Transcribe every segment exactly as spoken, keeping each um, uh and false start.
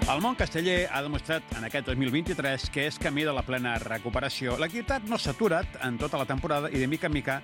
El món casteller ha demostrat en aquest dos mil vint-i-tres que és camí de la plena recuperació. L'activitat no s'ha aturat en tota la temporada i de mica en mica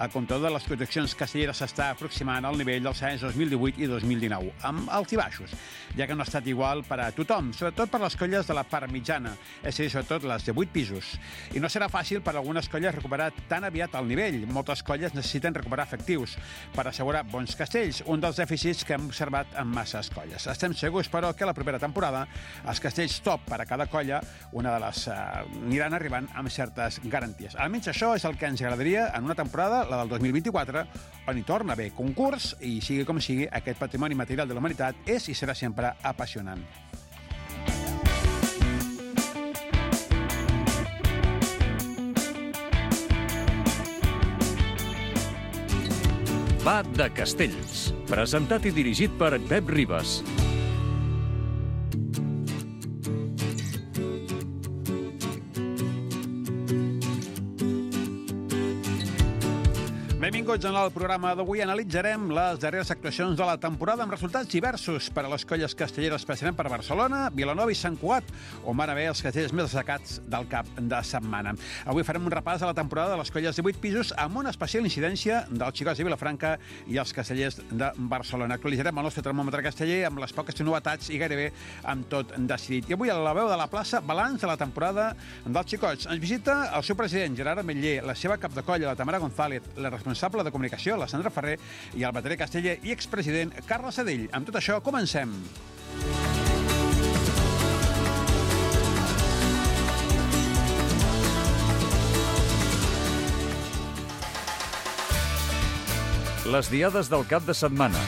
el comptador de les projeccions castelleres s'està aproximant al nivell dels anys dos mil divuit i dos mil dinou, amb alts i baixos, ja que no ha estat igual per a tothom, sobretot per les colles de la part mitjana, és a dir, sobretot les de vuit pisos. I no serà fàcil per a algunes colles recuperar tan aviat el nivell. Moltes colles necessiten recuperar efectius per assegurar bons castells, un dels dèficits que hem observat en masses colles. Estem segurs, però, que la propera temporada els castells top per a cada colla, una de les, uh, aniran arribant amb certes garanties. Almenys això és el que ens agradaria en una temporada, la del dos mil vint-i-quatre, on hi torna a haver concurs i, sigui com sigui, aquest patrimoni material de la humanitat és i serà sempre apassionant. Va de Castells, presentat i dirigit per Pep Ribas. Benvinguts en el programa d'avui. Analitzarem les darreres actuacions de la temporada amb resultats diversos per a les colles castelleres, especialment per Barcelona, Vilanova i Sant Cugat, on van haver els castells més destacats del cap de setmana. Avui farem un repàs de la temporada de les colles de vuit pisos amb una especial incidència dels xicots de Vilafranca i els castellers de Barcelona. Actualitzarem el nostre termòmetre casteller amb les poques novetats i gairebé amb tot decidit. I avui a la veu de la plaça, balanç de la temporada dels xicots. Ens visita el seu president, Gerard Ametller, la seva cap de colla, la Tamara González, la responsable de comunicació, la Sandra Ferrer, i el baterer casteller i expresident Carles Sedell. Amb tot això, comencem. Les diades del cap de setmana.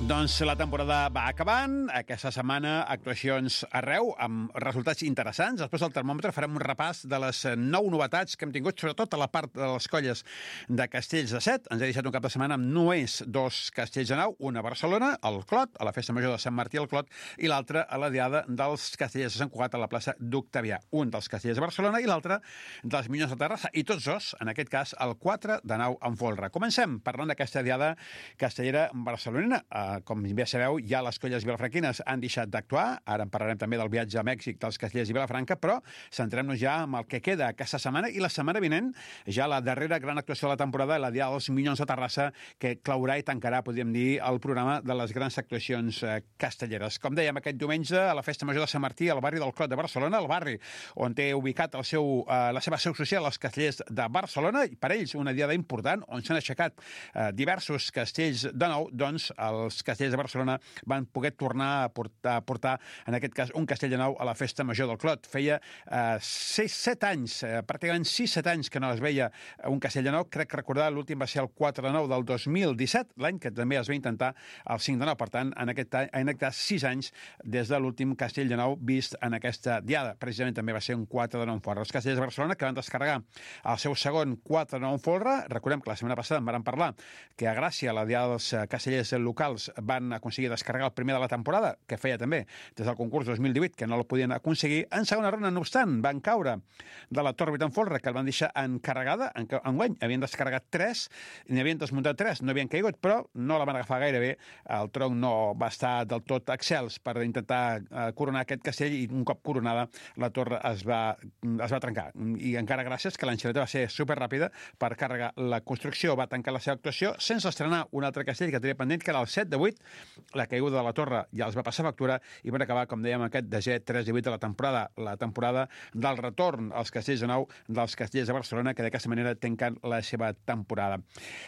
Doncs la temporada va acabant. Aquesta setmana actuacions arreu amb resultats interessants. Després del termòmetre farem un repàs de les nou novetats que hem tingut, sobretot a la part de les colles de castells de set. Ens ha deixat un cap de setmana amb només dos castells de nau, una a Barcelona, al Clot, a la Festa Major de Sant Martí al Clot, i l'altra a la Diada dels castellers de Sant Cugat a la plaça d'Octavià. Un dels castellers de Barcelona i l'altre dels Minyons de Terrassa. I tots dos, en aquest cas, el quatre de nau en folre. Comencem parlant d'aquesta Diada castellera barcelonina. Com bé sabeu, ja les colles vilafranquines han deixat d'actuar. Ara en parlarem també del viatge a Mèxic dels castellers i Vilafranca, però centrem-nos ja en el que queda aquesta setmana i la setmana vinent, ja la darrera gran actuació de la temporada, la Diada dels Minyons de Terrassa, que claurà i tancarà, podríem dir, el programa de les grans actuacions eh, castelleres. Com dèiem, aquest diumenge, a la Festa Major de Sant Martí, al barri del Clot de Barcelona, el barri on té ubicat el seu, eh, la seva seu social, els castellers de Barcelona, i per ells una diada important, on s'han aixecat eh, diversos castells de nou, doncs els castellers de Barcelona van poder tornar a portar, a portar, en aquest cas, un castell de nou a la Festa Major del Clot. Feia eh, sis, set anys, eh, pràcticament sis, set anys que no es veia un castell de nou. Crec que recordar, l'últim va ser el quatre de nou del dos mil disset, l'any que també es va intentar el cinc de nou. Per tant, en aquest, en aquest cas, sis anys des de l'últim castell de nou vist en aquesta diada. Precisament també va ser un quatre de nou en folre. Els castellers de Barcelona, que van descarregar el seu segon quatre de nou en folre, recordem que la setmana passada en vam parlar que a Gràcia, la diada dels castellers locals, van aconseguir descarregar el primer de la temporada, que feia també des del concurs dos mil divuit, que no el podien aconseguir. En segona ronda, no obstant, van caure de la Torre en folre, que el van deixar encarregada. En, enguany havien descarregat tres, n'hi havien desmuntat tres, no havien caigut, però no la van agafar gaire bé. El tronc no va estar del tot excels per intentar eh, coronar aquest castell, i un cop coronada la torre es va, es va trencar. I encara gràcies que l'enxaneta va ser superràpida per carregar la construcció. Va tancar la seva actuació sense estrenar un altre castell que tenia pendent, que era el set de vuit. La caiguda de la torre ja els va passar factura i van acabar, com dèiem, aquest desè tres de vuit de la temporada, la temporada del retorn als castells de nou dels castellers de Barcelona, que d'aquesta manera tanquen la seva temporada.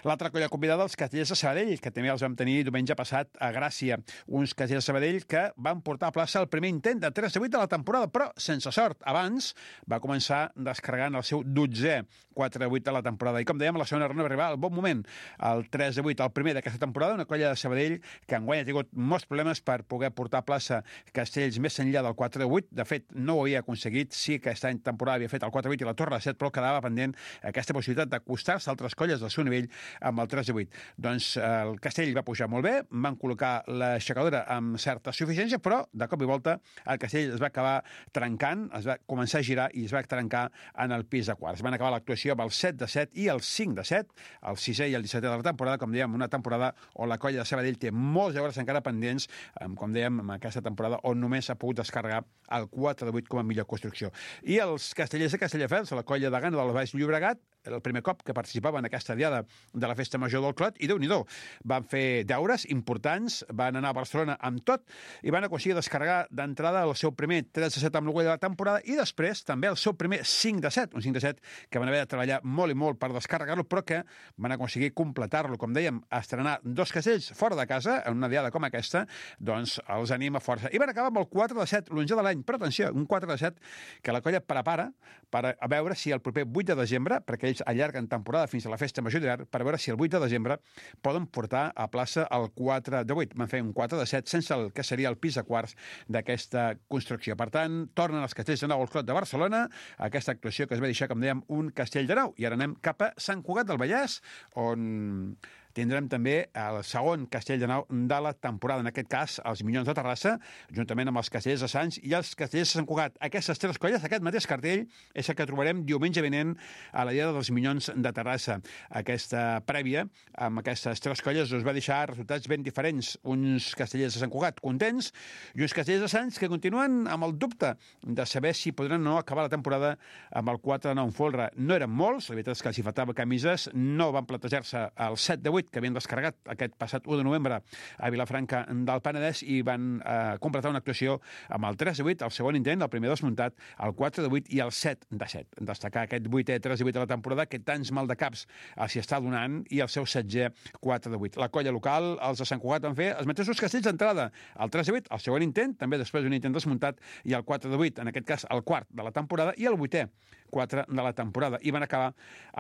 L'altra colla convidada, els castellers de Sabadell, que també els vam tenir diumenge passat a Gràcia. Uns castellers de Sabadell que van portar a plaça el primer intent de tres de vuit de la temporada, però sense sort. Abans va començar descarregant el seu dotzè quatre de vuit de la temporada. I com dèiem, la segona ronda va arribar al bon moment, el tres de vuit, el primer d'aquesta temporada, una colla de Sabadell que enguany ha tingut molts problemes per poder portar a plaça castells més enllà del quatre de vuit. De fet, no ho havia aconseguit. Sí que aquesta temporada havia fet el quatre de vuit i la Torre de set, però quedava pendent aquesta possibilitat d'acostar-se a altres colles del seu nivell amb el tres de vuit. Doncs el castell va pujar molt bé, van col·locar l'aixecadora amb certa suficiència, però de cop i volta el castell es va acabar trencant, es va començar a girar i es va trencar en el pis de quarts. Van acabar l'actuació amb el set de set i el cinc de set, el sisè i el dissetè de la temporada, com dèiem, una temporada on la colla de Sabadell té molts deures encara pendents, com dèiem, en aquesta temporada, on només s'ha pogut descarregar el quatre de vuit com a millor construcció. I els castellers de Castelldefels, la colla de Gana del Baix Llobregat, el primer cop que participava en aquesta diada de la Festa Major del Clot, i Déu-n'hi-do, van fer deures importants, van anar a Barcelona amb tot, i van aconseguir descarregar d'entrada el seu primer tres de set amb l'Orgull de la temporada, i després també el seu primer cinc de set, un cinc de set que van haver de treballar molt i molt per descarregar-lo, però que van aconseguir completar-lo. Com dèiem, estrenar dos castells fora de casa, en una diada com aquesta, doncs els anima força. I van acabar amb el quatre de set, l'onze de l'any, però atenció, un quatre de set que la colla prepara per a veure si el proper vuit de desembre, perquè ells allarguen temporada fins a la Festa Major d'hivern, per veure si el vuit de desembre poden portar a plaça el quatre de vuit. Van fer un quatre de set sense el que seria el pis de quarts d'aquesta construcció. Per tant, tornen els castells de nou al Clot de Barcelona, aquesta actuació que es va deixar, com dèiem, un castell de nou. I ara anem cap a Sant Cugat del Vallès, on tindrem també el segon castell de nou de la temporada, en aquest cas els Minyons de Terrassa, juntament amb els castellers de Sants i els castellers de Sant Cugat. Aquestes tres colles, aquest mateix cartell, és el que trobarem diumenge vinent a la diada dels Minyons de Terrassa. Aquesta prèvia, amb aquestes tres colles, us va deixar resultats ben diferents. Uns castellers de Sant Cugat contents i uns castellers de Sants que continuen amb el dubte de saber si podran o no acabar la temporada amb el quatre de nou en folre. No eren molts, la veritat és que els hi faltava camises, no van plantejar-se el set de vuit que havien descarregat aquest passat u de novembre a Vilafranca del Penedès i van eh, completar una actuació amb el tres de vuit, el segon intent, el primer desmuntat, el quatre de vuit i el set de set. Destacar aquest vuitè tres de vuit de la temporada que tants mal de caps els hi està donant i el seu setzè quatre de vuit. La colla local, els de Sant Cugat, van fer els mateixos castells d'entrada. El tres de vuit, el segon intent, també després d'un intent desmuntat, i el quatre de vuit, en aquest cas el quart de la temporada, i el vuitè quatre de la temporada. I van acabar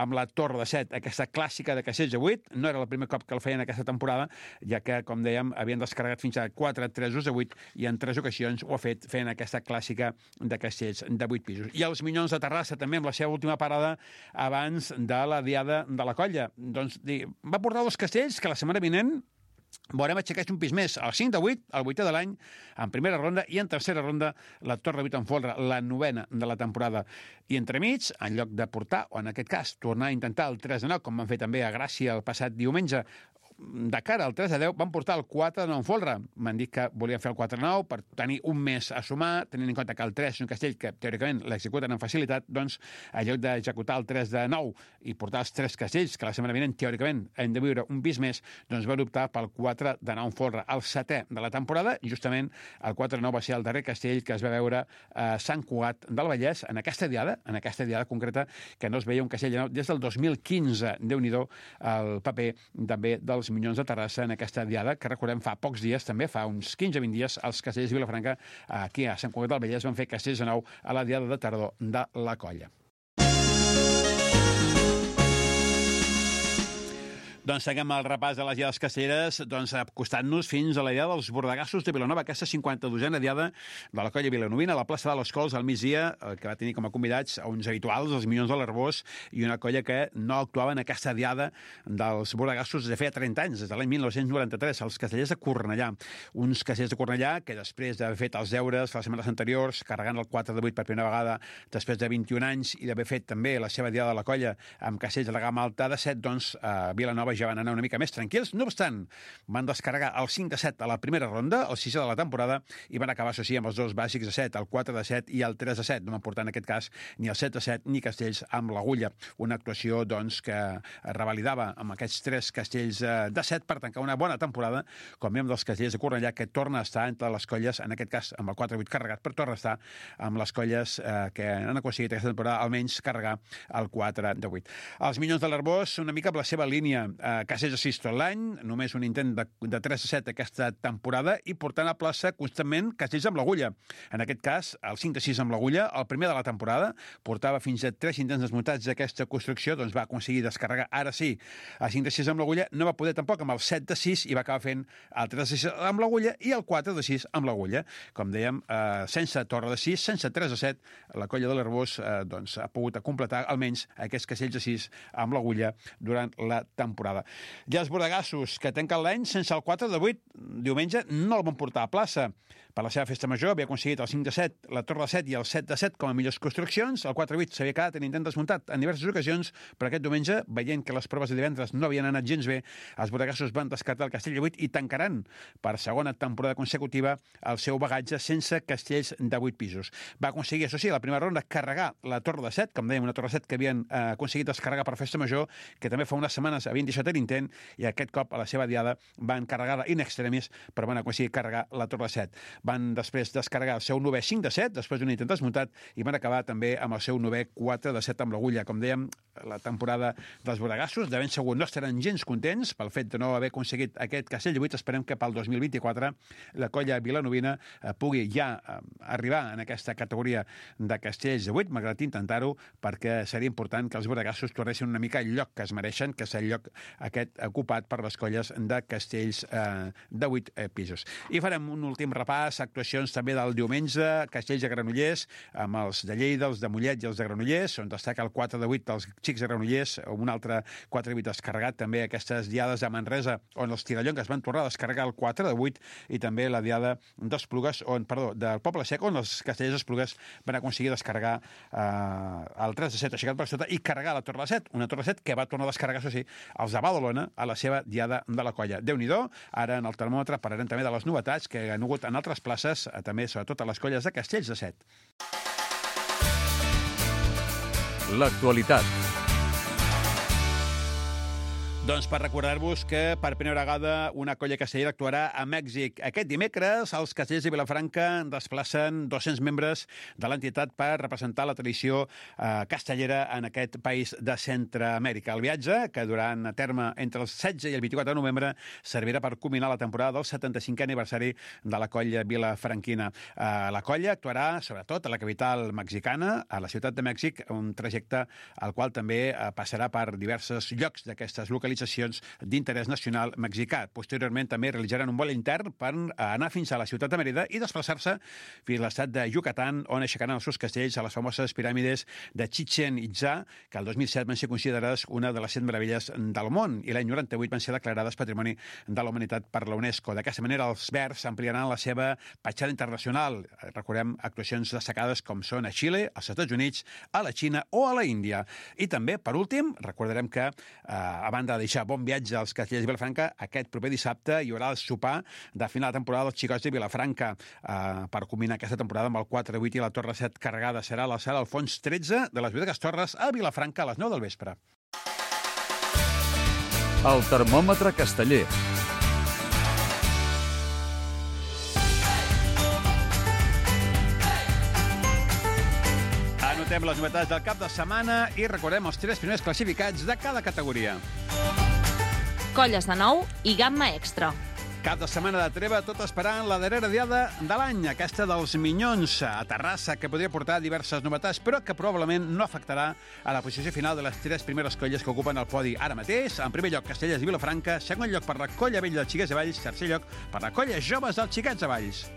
amb la Torre de set, aquesta clàssica de castells de vuit. No era el primer cop que el feien aquesta temporada, ja que, com dèiem, havien descarregat fins a quatre tresos de vuit i en tres ocasions ho ha fet fent aquesta clàssica de castells de vuit pisos. I els Minyons de Terrassa, també, amb la seva última parada abans de la diada de la colla. Doncs va portar dos castells que la setmana vinent veurem aixecar un pis més, el cinc de vuit, el vuitè de l'any, en primera ronda, i en tercera ronda la Torre de vuit en folre, la novena de la temporada. I entremig, en lloc de portar, o en aquest cas, tornar a intentar el tres de nou, com van fer també a Gràcia el passat diumenge, de cara al tres de deu van portar el quatre de nou en folre. M'han dit que volien fer el quatre de nou per tenir un mes a sumar, tenint en compte que el tres és un castell que teòricament l'executen amb facilitat, doncs en lloc d'executar el tres de nou i portar els tres castells, que la setmana vinent teòricament hem de viure un pis més, doncs van optar pel quatre de nou en folre, el setè de la temporada. Justament el quatre de nou va ser el darrer castell que es va veure a Sant Cugat del Vallès en aquesta diada, en aquesta diada concreta, que no es veia un castell de nou des del dos mil quinze. Déu-n'hi-do el paper també dels Minyons de Terrassa en aquesta diada, que recordem fa pocs dies, també fa uns quinze a vint dies, els castellers de Vilafranca, aquí a Sant Cugat del Vallès, van fer castells de nou a la diada de tardor de la colla. Doncs seguim el repàs de les diades castelleres, doncs acostant-nos fins a la diada dels Bordegassos de Vilanova, aquesta cinquanta-dosena diada de la colla vilanovina a la plaça de les Cols al migdia, que va tenir com a convidats a uns habituals, els Minyons de l'Arbós, i una colla que no actuava en aquesta diada dels Bordegassos des de feia trenta anys, des de l'any mil nou-cents noranta-tres, els castellers de Cornellà. Uns castellers de Cornellà que després d'haver fet els deures les setmanes anteriors, carregant el quatre de vuit per primera vegada després de vint-i-un anys i d'haver fet també la seva diada de la colla amb castells de la gamma alta de set, doncs a Vilanova ja van anar una mica més tranquils. No obstant, van descarregar el cinc de set a la primera ronda, el sisè de la temporada, i van acabar, això sí, amb els dos bàsics de set, el quatre de set i el tres de set. No van portar en aquest cas ni el set de set ni castells amb l'agulla. Una actuació, doncs, que revalidava amb aquests tres castells de set per tancar una bona temporada, com dèiem dels castellers de Cornellà, que torna a estar entre les colles, en aquest cas amb el quatre de vuit carregat, però torna a estar amb les colles eh, que han aconseguit aquesta temporada almenys carregar el quatre de vuit. Els Minyons de l'Arbós, una mica amb la seva línia, eh, castells de sis tot l'any, només un intent de, de tres a set aquesta temporada i portant a plaça constantment castells amb l'agulla. En aquest cas, el cinc de sis amb l'agulla, el primer de la temporada, portava fins a tres intents desmuntats d'aquesta construcció, doncs va aconseguir descarregar, ara sí, el cinc de sis amb l'agulla, no va poder tampoc amb el set de sis i va acabar fent el tres de sis amb l'agulla i el quatre de sis amb l'agulla. Com dèiem, eh, sense torre de sis, sense tres de set, la colla de l'Arbós eh, doncs, ha pogut completar almenys aquests castells de sis amb l'agulla durant la temporada. temporada. I els bordegassos, que tanquen l'any sense el quatre de vuit, diumenge no el van portar a plaça. Per la seva festa major havia aconseguit el cinc de set, la torre de set i el set de set com a millors construccions. El quatre de vuit s'havia quedat en intent desmuntat en diverses ocasions, però aquest diumenge, veient que les proves de divendres no havien anat gens bé, els bordegassos van descartar el castell de vuit i tancaran per segona temporada consecutiva el seu bagatge sense castells de vuit pisos. Va aconseguir, això sí, la primera ronda, carregar la torre de set, com dèiem, una torre de set que havien eh, aconseguit descarregar per festa major, que també fa unes setmanes havien deixat l'intent, i aquest cop a la seva diada van carregar-la in extremis, però van aconseguir carregar la torre de set. Van després descarregar el seu novè cinc de set, després d'un intent desmuntat, i van acabar també amb el seu novè quatre de set amb l'agulla. Com dèiem, la temporada dels bordegassos, de ben segur no estaran gens contents pel fet de no haver aconseguit aquest castell de vuit. Esperem que pel dos mil vint-i-quatre la colla vilanovina eh, pugui ja eh, arribar en aquesta categoria de castells de vuit, malgrat intentar-ho, perquè seria important que els bordegassos tornessin una mica al lloc que es mereixen, que és el lloc aquest ocupat per les colles de castells eh, de vuit eh, pisos. I farem un últim repàs, actuacions també del diumenge, castells de Granollers, amb els de Lleida, els de Mollet i els de Granollers, on destaca el quatre de vuit dels xics de Granollers, un altre quatre de vuit descarregat, també aquestes diades de Manresa, on els tirallongues van tornar a descarregar el quatre de vuit, i també la diada d'Esplugues, on, perdó, del Poble Sec, on els castellers d'Esplugues van aconseguir descarregar eh, el tres de set aixecat per sota i carregar la torre de set, una torre de set que va tornar a descarregar, això sí, els de Badalona a la seva diada de la colla. Déu-n'hi-do, ara en el termòmetre parlarem també de les novetats que han hagut en altres places, també sobretot a les colles de castells de set. L'actualitat. Doncs per recordar-vos que per primera vegada una colla castellera actuarà a Mèxic. Aquest dimecres els castellers de Vilafranca desplacen dos-cents membres de l'entitat per representar la tradició eh, castellera en aquest país de Centreamèrica. El viatge, que durant a terme entre el setze i el vint-i-quatre de novembre, servirà per culminar la temporada del setanta-cinquè aniversari de la colla vilafranquina. Eh, la colla actuarà sobretot a la capital mexicana, a la ciutat de Mèxic, un trajecte al qual també eh, passarà per diversos llocs d'aquestes localitats d'interès nacional mexicà. Posteriorment també realitzaran un vol intern per anar fins a la ciutat de Mérida i desplaçar-se fins a l'estat de Yucatán, on aixecaran els seus castells a les famoses piràmides de Chichén Itzá, que el dos mil set van ser considerades una de les set meravelles del món i l'any noranta-vuit van ser declarades Patrimoni de la Humanitat per la UNESCO. D'aquesta manera, els verds ampliaran la seva petjada internacional. Recordem actuacions destacades com són a Xile, als Estats Units, a la Xina o a la Índia. I també, per últim, recordarem que, eh, a banda de deixar bon viatge als castellers de Vilafranca, aquest proper dissabte hi haurà el sopar de final de temporada dels xicots de Vilafranca eh, per culminar aquesta temporada amb el quatre de vuit i la torre set carregada. Serà a la sala Alfons tretze de les Bodegues Torres a Vilafranca a les nou del vespre. El termòmetre casteller. Anotem les novetats del cap de setmana i recordem els tres primers classificats de cada categoria. Colles de nou i gamma extra. Cap de setmana de treva, tot esperant la darrera diada de l'any, aquesta dels Minyons a Terrassa, que podria portar diverses novetats, però que probablement no afectarà a la posició final de les tres primeres colles que ocupen el podi ara mateix. En primer lloc, Castellers i Vilafranca, segon lloc per la colla vella dels Xiquets de Valls, tercer lloc per la colla joves dels Xiquets de Valls.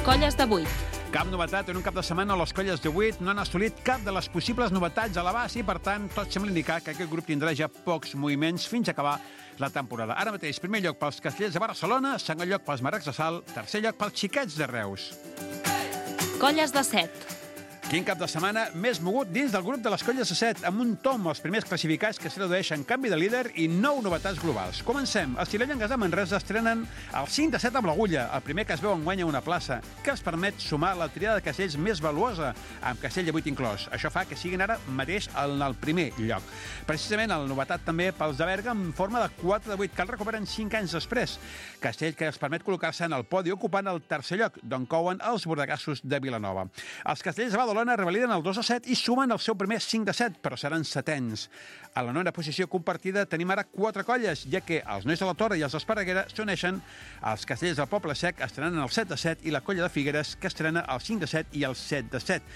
Colles de vuit. Cap novetat en un cap de setmana. Les colles de vuit no han assolit cap de les possibles novetats a l'abast i, per tant, tot sembla indicar que aquest grup tindrà ja pocs moviments fins a acabar la temporada. Ara mateix, primer lloc pels Castellers de Barcelona, segon lloc pels Marrecs de Salt, tercer lloc pels Xiquets de Reus. Colles de set. Quin cap de setmana més mogut dins del grup de les colles de set, amb un tom els primers classificats que es redueixen canvi de líder i nou novetats globals. Comencem. Els tirallongues de Manresa estrenen el cinc de set amb l'agulla, el primer que es veu enguany a una plaça, que els permet sumar la triada de castells més valuosa, amb castell de vuit inclòs. Això fa que siguin ara mateix en el primer lloc. Precisament la novetat també pels de Berga en forma de quatre de vuit, que el recuperen cinc anys després. Castell que els permet col·locar-se en el podi ocupant el tercer lloc, d'on couen els bordegassos de Vilanova. Els castells de Badalona revaliden el dos a set i sumen el seu primer cinc de set, però seran setens. A la nona posició compartida tenim ara quatre colles, ja que els nois de la Torre i els d'Esparreguera s'uneixen, els castellers del Poble Sec estrenen el set de set i la colla de Figueres, que estrena el cinc de set i el set de set.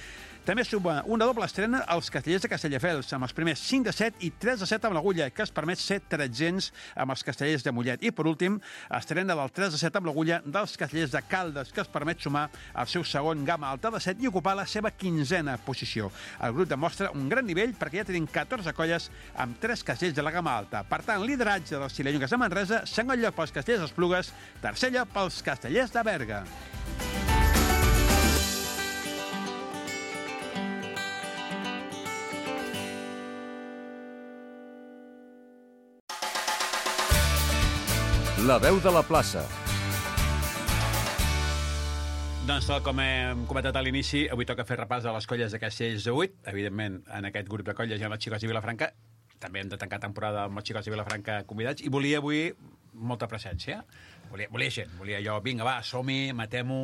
També suma una doble estrena als Castellers de Castelldefels, amb els primers cinc de set i tres de set amb l'Agulla, que es permet ser tretzens amb els Castellers de Mollet. I, per últim, estrena del tres de set amb l'Agulla dels Castellers de Caldes, que es permet sumar el seu segon gamma alta de set i ocupar la seva quinzena posició. El grup demostra un gran nivell perquè ja tenim catorze colles amb tres castells de la gamma alta. Per tant, lideratge dels Cilellongues de Manresa, segon lloc pels Castellers d'Esplugues, tercer lloc pels Castellers de Berga. La veu de la plaça. Doncs, tal com hem comentat a l'inici, avui toca fer repàs de les colles de Castells de vuit. Evidentment, en aquest grup de colles hi ha els Xicots de Vilafranca. També hem de tancar temporada amb els Xicots de Vilafranca convidats. I volia avui molta presència. Volia, volia gent. Volia jo, vinga, va, som-hi, matem-ho,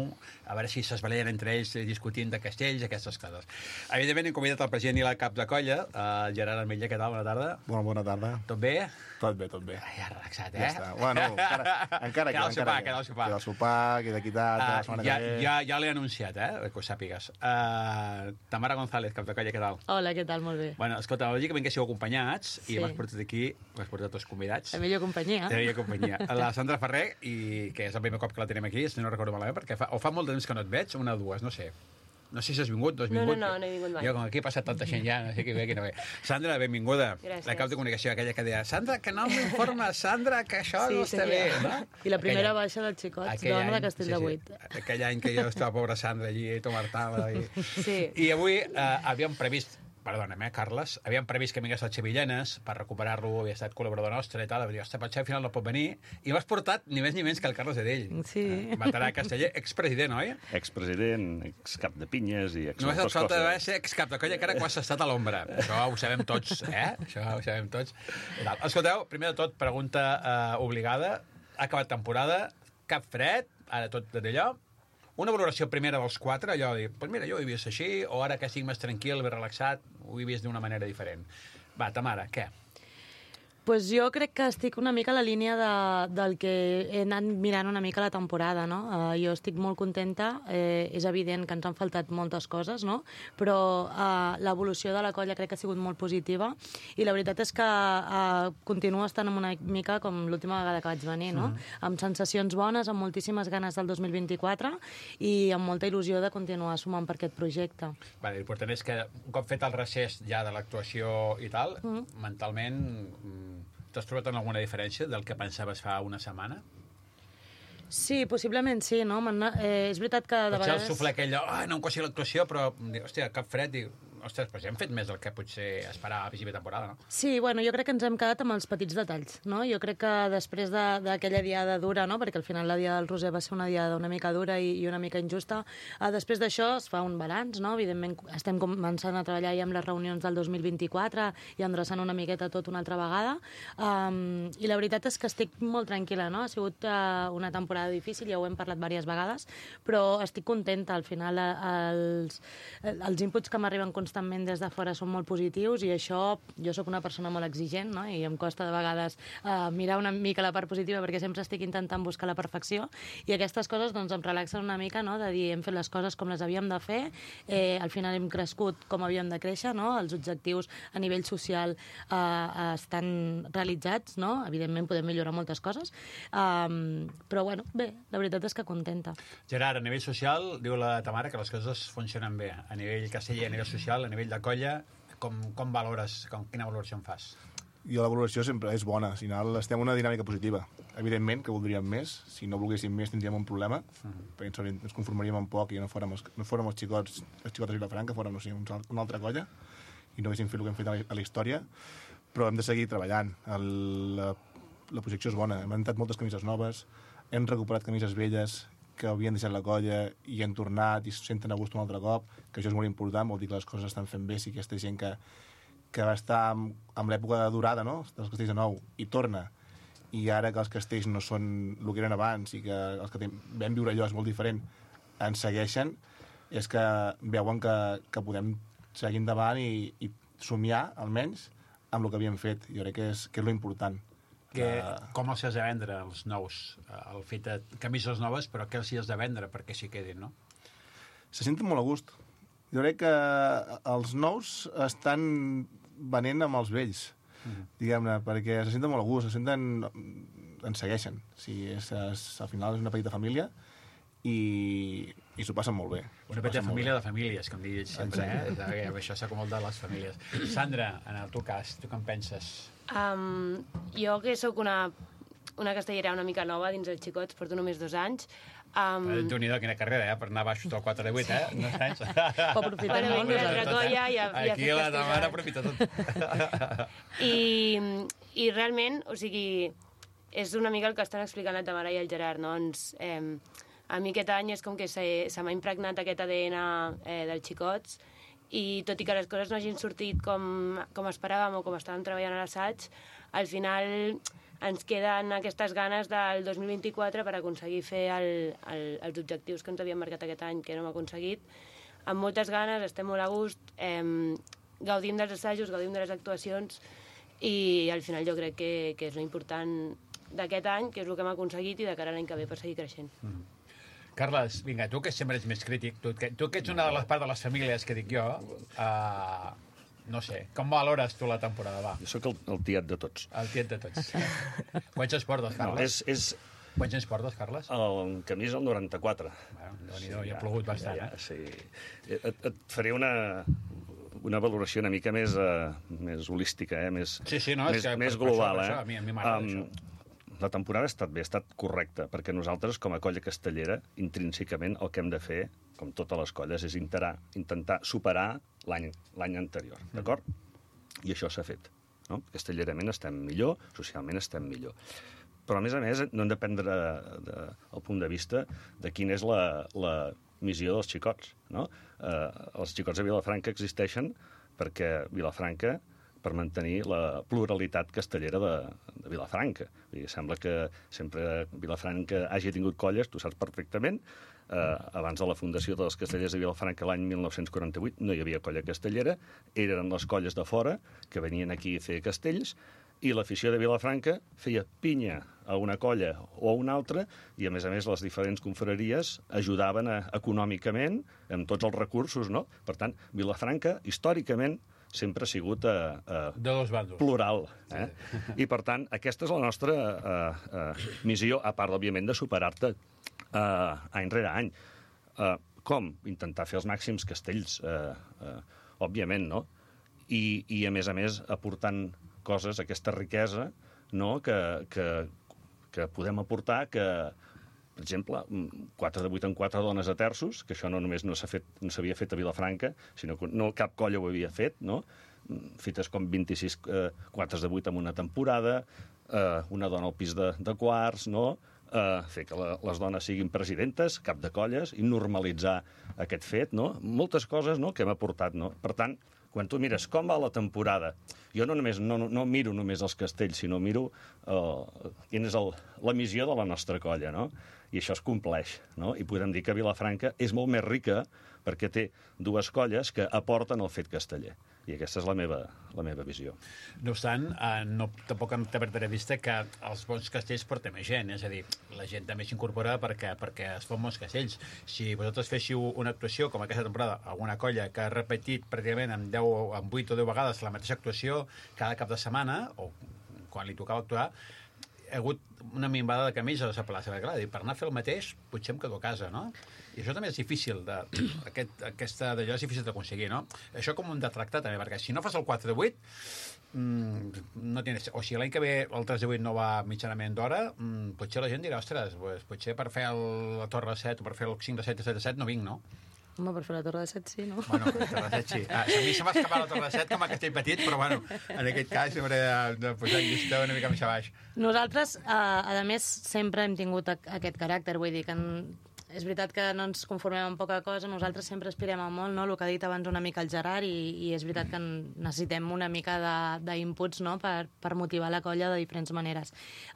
a veure si s'esbalien entre ells discutint de castells, aquestes coses. Evidentment, hem convidat el president i la cap de colla, el Gerard Armetlla. Què tal? Bona tarda. Bona, bona tarda. Tot bé? Tot bé, tot bé. Ja relaxat, eh? Ja està. Bueno, encara, encara queda el sopar, encara queda el sopar. Queda el sopar, queda equitat, uh, la setmana ja, que ve. ja, ja l'he anunciat, eh? Que ho sàpigues. Uh, Tamara González, cap de colla, què tal? Hola, què tal? Molt bé. Bueno, escolta, lògicament que siu acompanyats Sí. i m'has portat aquí, m'has portat dos convidats. La millor companyia. La millor companyia. La Sandra Ferrer, i que és el primer cop que la tenim aquí, si no recordo malament, perquè fa, o fa molt de temps que no et veig, una o dues, no sé. No sé si has vingut, no has No, vingut. no, no, no he vingut mai. Jo, com aquí ha passat tanta gent ja, no sé qui ve, qui no ve. Sandra, benvinguda. Gràcies. La cap de comunicació, aquella que deia Sandra, que no m'informa, Sandra, que això no està bé. No? I la primera Aquell- baixa dels xicots, aquell dona de any, Castell sí, de sí. Vuit. Aquell any que jo estava, pobra Sandra, allí, tomartava. I... Sí. I avui eh, havíem previst, perdona'm, eh, Carles, havíem previst que vingués al Xavillanes per recuperar-lo, havia estat col·laborador nostre i tal, va dir, ostres, potser al final no pot venir, i m'has portat ni més ni menys que el Carles Edell. Sí. Eh, veterà casteller, expresident, oi? Expresident, excap de pinyes i ex Només et moltes falta coses. ser excap de colla, que ara quan has estat a l'ombra. Això ho sabem tots, eh? Això ho sabem tots. I tal. Escolteu, primer de tot, pregunta eh, obligada. Ha acabat temporada, cap fred, ara tot d'allò. Una valoració primera dels quatre, allò de dir, pues mira, jo ho he vist així, o ara que estic més tranquil, més relaxat, ho he vist d'una manera diferent. Va, Tamara, què? Pues jo crec que estic una mica a la línia de, del que he anat mirant una mica la temporada, no? Uh, jo estic molt contenta, eh, és evident que ens han faltat moltes coses, no? Però uh, l'evolució de la colla crec que ha sigut molt positiva i la veritat és que uh, continuo estant amb una mica com l'última vegada que vaig venir, no? Mm. Amb sensacions bones, amb moltíssimes ganes del dos mil vint-i-quatre i amb molta il·lusió de continuar sumant per aquest projecte. Vale, l'important és que un cop fet el recés ja de l'actuació i tal, mm. mentalment mm, t'has trobat en alguna diferència del que pensaves fa una setmana? Sí, possiblement sí, no? Eh, és veritat que de Potser vegades... el suflé aquell, oh, no em coixi l'actuació, però, hòstia, cap fred, i, ostres, doncs hem fet més del que potser esperava a principi de temporada, no? Sí, bueno, jo crec que ens hem quedat amb els petits detalls, no? Jo crec que després d'aquella de, diada dura, no? Perquè al final la diada del Roser va ser una diada una mica dura i, i una mica injusta, eh, després d'això es fa un balanç, no? Evidentment estem començant a treballar ja amb les reunions del dos mil vint-i-quatre i endreçant una miqueta tot una altra vegada, um, i la veritat és que estic molt tranquil·la, no? Ha sigut uh, una temporada difícil, ja ho hem parlat diverses vegades, però estic contenta, al final els, els inputs que m'arriben constantment des de fora són molt positius i això, jo sóc una persona molt exigent, no? I em costa de vegades uh, mirar una mica la part positiva perquè sempre estic intentant buscar la perfecció i aquestes coses doncs em relaxen una mica, no? De dir, hem fet les coses com les havíem de fer, eh, al final hem crescut com havíem de créixer, no? Els objectius a nivell social uh, estan realitzats, no? Evidentment podem millorar moltes coses, um, però bueno, bé, la veritat és que contenta. Gerard, a nivell social, diu la Tamara que les coses funcionen bé. A nivell casteller, a nivell social, a nivell de colla, com, com valores, com, quina valoració en fas? Jo la valoració sempre és bona, al final estem en una dinàmica positiva. Evidentment que voldríem més, si no volguéssim més tindríem un problema, uh -huh. perquè ens, ens conformaríem amb poc i no fórem els, no fórem els xicots, els xicots de Vilafranca, fórem no sé, una altra colla i no haguéssim fet el que hem fet a la, a la història, però hem de seguir treballant. El, la, la projecció és bona, hem entrat moltes camises noves, hem recuperat camises velles que havien deixat la colla i han tornat i se senten a gust un altre cop, que això és molt important, vol dir que les coses estan fent bé, si aquesta gent que, que va estar amb, amb l'època dorada, no?, dels castells de nou, i torna, i ara que els castells no són el que eren abans i que els que vam viure allò és molt diferent, ens segueixen, és que veuen que, que podem seguir endavant i, i somiar, almenys, amb el que havíem fet. Jo crec que és, que és lo important. Que, com els has de vendre, els nous? El fet de camises noves, però què els hi has de vendre perquè s'hi quedin, no? Se senten molt a gust. jo crec que els nous estan venent amb els vells, mm. diguem-ne, perquè se senten molt a gust, se senten... ens segueixen. O sigui, és, és, al final és una petita família i, i s'ho passen molt bé. Una petita família de famílies, com dius sempre, Exacte. eh? Això s'acomoda de les famílies. Sandra, en el teu cas, tu què en penses? Um, jo que sóc una, una castellera una mica nova dins els xicots, porto només dos anys. Um... Déu-n'hi-do, quina carrera, eh? Per anar baix del quatre de vuit, eh? No tens? Ho aprofitem Bueno, molt. vinc de Tracolla i a, i a Aquí fer la mare festival. aprofita tot. I, I realment, o sigui, és una mica el que estan explicant la Tamara i el Gerard, no? Ens, eh, a mi aquest any és com que se, se m'ha impregnat aquest A D N eh, dels xicots i tot i que les coses no hagin sortit com, com esperàvem o com estàvem treballant a l'assaig, al final ens queden aquestes ganes del dos mil vint-i-quatre per aconseguir fer el, el, els objectius que ens havíem marcat aquest any, que no hem aconseguit. Amb moltes ganes, estem molt a gust, eh, gaudim dels assajos, gaudim de les actuacions i al final jo crec que, que és l'important d'aquest any, que és el que hem aconseguit i de cara a l'any que ve per seguir creixent. Mm. Carles, vinga, tu que sempre ets més crític, tu que, tu que ets una de les parts de les famílies que dic jo, uh, no sé, com valores tu la temporada, va? Jo sóc el, el tiet de tots. El tiet de tots. Quants anys portes, Carles? No, és, és... Quants anys portes, Carles? El camí és el noranta-quatre. Bueno, Déu-n'hi-do, ja ha plogut bastant, ja, ja, eh? sí. Et, et faré una, una valoració una mica més, uh, més holística, eh? més, Sí, sí, no, és més, que més per, global. per això, eh? per això, a mi, a mi m'agrada això. La temporada ha estat bé, ha estat correcta, perquè nosaltres, com a colla castellera, intrínsecament el que hem de fer, com totes les colles, és intentar, intentar superar l'any l'any anterior, d'acord? I això s'ha fet. No? Castellerament estem millor, socialment estem millor. Però, a més a més, no hem de prendre de, el punt de vista de quina és la, la missió dels xicots. No? Eh, els xicots de Vilafranca existeixen perquè Vilafranca per mantenir la pluralitat castellera de, de Vilafranca. Vull dir, sembla que sempre Vilafranca hagi tingut colles, tu saps perfectament. Eh, abans de la fundació dels castellers de Vilafranca l'any mil nou-cents quaranta-vuit no hi havia colla castellera, eren les colles de fora que venien aquí a fer castells i l'afició de Vilafranca feia pinya a una colla o a una altra i, a més a més, les diferents confraries ajudaven a, econòmicament amb tots els recursos, no? Per tant, Vilafranca, històricament, sempre ha sigut uh, uh, de dos bandos. Plural. Eh? Sí. I, per tant, aquesta és la nostra uh, uh, missió, a part, òbviament, de superar-te uh, any rere any. Uh, com? Intentar fer els màxims castells, uh, uh, òbviament, no? I, I, a més a més, aportant coses, aquesta riquesa, no? que, que, que podem aportar, que, per exemple, quatre de vuit en quatre dones a terços, que això no només no s'ha fet, no s'havia fet a Vilafranca, sinó que no cap colla ho havia fet, no? Fetes com vint-i-sis eh, quatre de vuit en una temporada, eh, una dona al pis de, de quarts, no? Eh, fer que la, les dones siguin presidentes, cap de colles, i normalitzar aquest fet, no? Moltes coses, no?, que hem aportat, no? Per tant, quan tu mires com va la temporada, jo no només no, no miro només els castells, sinó miro eh, quina és el, la missió de la nostra colla, no? I això es compleix, no? I podem dir que Vilafranca és molt més rica perquè té dues colles que aporten el fet casteller. I aquesta és la meva, la meva visió. No obstant, eh, no, tampoc hem de perdre de vista que els bons castells porten més gent, és a dir, la gent també s'incorpora perquè, perquè es fan bons castells. Si vosaltres féssiu una actuació, com aquesta temporada, alguna colla que ha repetit pràcticament en, deu, en vuit o deu vegades la mateixa actuació cada cap de setmana, o quan li tocava actuar, hi ha hagut una minvada de camells a la plaça. Clar, per anar a fer el mateix, potser em quedo a casa, no? I això també és difícil, de, aquest, aquesta d'allò és difícil d'aconseguir, no? Això com ho hem de tractar també, perquè si no fas el quatre de vuit, mmm, no tienes... o si l'any que ve el tres de vuit no va mitjanament d'hora, mmm, potser la gent dirà, ostres, pues, potser per fer el, la Torre de set o per fer el cinc de set i set de set no vinc, no? Home, per fer la Torre de Set, sí, no? Bueno, la Torre de Set, sí. Ah, a mi se m'ha escapat la Torre de Set com a castell petit, però bueno, en aquest cas hauré de, de posar llista una mica més a baix. Nosaltres, eh, a més, sempre hem tingut aquest caràcter, vull dir que en... és veritat que no ens conformem amb poca cosa, nosaltres sempre aspirem a molt, no? El que ha dit abans una mica el Gerard, i, i és veritat que necessitem una mica d'inputs, no? per, per motivar la colla de diferents maneres.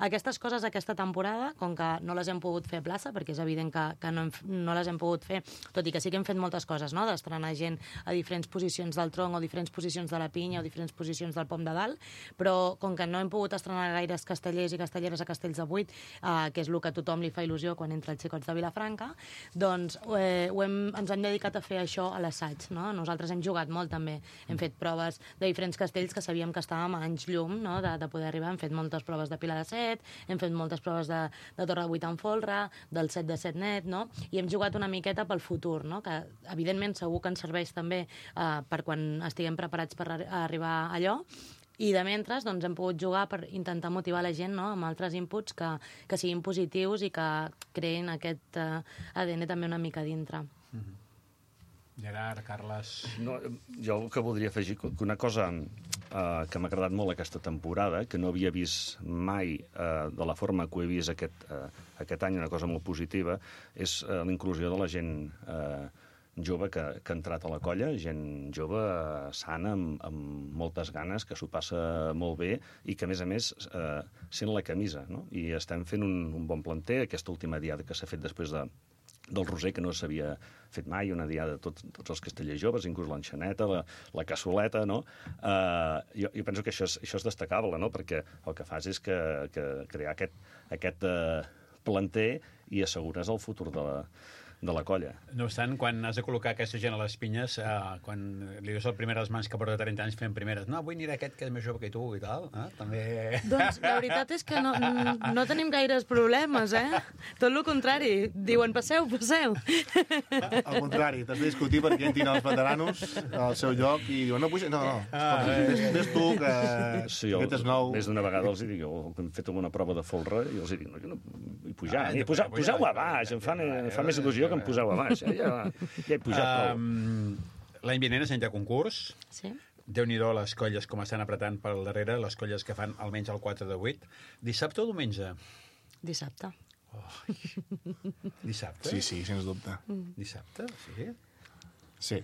Aquestes coses aquesta temporada, com que no les hem pogut fer a plaça, perquè és evident que, que no, hem, no les hem pogut fer, tot i que sí que hem fet moltes coses, no? D'estrenar gent a diferents posicions del tronc o diferents posicions de la pinya o diferents posicions del pom de dalt, però com que no hem pogut estrenar gaires castellers i castelleres a Castells de Vuit, eh, que és el que a tothom li fa il·lusió quan entra els xicots de Vilafranca, dintre, doncs eh, ho hem, ens hem dedicat a fer això a l'assaig, no? Nosaltres hem jugat molt també, hem fet proves de diferents castells que sabíem que estàvem a anys llum, no? de, de poder arribar, hem fet moltes proves de Pilar de Set, hem fet moltes proves de, de Torre de vuit en folre, del set de set net, no? I hem jugat una miqueta pel futur, no? Que evidentment segur que ens serveix també eh, per quan estiguem preparats per arribar a allò. I de mentre doncs, hem pogut jugar per intentar motivar la gent, no?, amb altres inputs que, que siguin positius i que creïn aquest uh, A D N també una mica dintre. Mm-hmm. Gerard, Carles... No, jo el que voldria afegir, que una cosa uh, que m'ha agradat molt aquesta temporada, que no havia vist mai uh, de la forma que ho he vist aquest, uh, aquest any, una cosa molt positiva, és uh, la inclusió de la gent... Uh, jove que, que ha entrat a la colla, gent jove, sana, amb, amb moltes ganes, que s'ho passa molt bé i que, a més a més, eh, sent la camisa, no? I estem fent un, un bon planter, aquesta última diada que s'ha fet després de, del Roser, que no s'havia fet mai, una diada de tots, tots els castellers joves, inclús l'enxaneta, la, la cassoleta, no? Eh, jo, jo penso que això és, això és destacable, no? Perquè el que fas és que, que crear aquest, aquest eh, planter i assegures el futur de la, de la colla. No obstant, quan has de col·locar aquesta gent a les pinyes, eh, quan li dius el primer a les mans que porta trenta anys fent primeres, no, vull anirà aquest que és més jove que tu i tal, eh? També... Doncs la veritat és que no, no tenim gaires problemes, eh? Tot el contrari. Diuen, passeu, passeu. Al contrari, t'has de discutir perquè entrin els veteranos al seu lloc i diuen, no, puja, no, no, ah, ves, ves tu, que sí, aquest és nou. Més d'una vegada els dic, jo hem fet alguna prova de folre i els dic, no, jo no vull pujar, ah, pujar poseu-ho a baix, em fa, em fa més il·lusió que em poseu a baix. Ja, ja, ja he pujat prou. Um, L'any vinent és any de concurs. Sí. Déu-n'hi-do les colles com estan apretant per darrere, les colles que fan almenys el quatre de vuit. Dissabte o diumenge? Dissabte. Oh. Dissabte? Sí, sí, sens dubte. Dissabte, sí? Sí.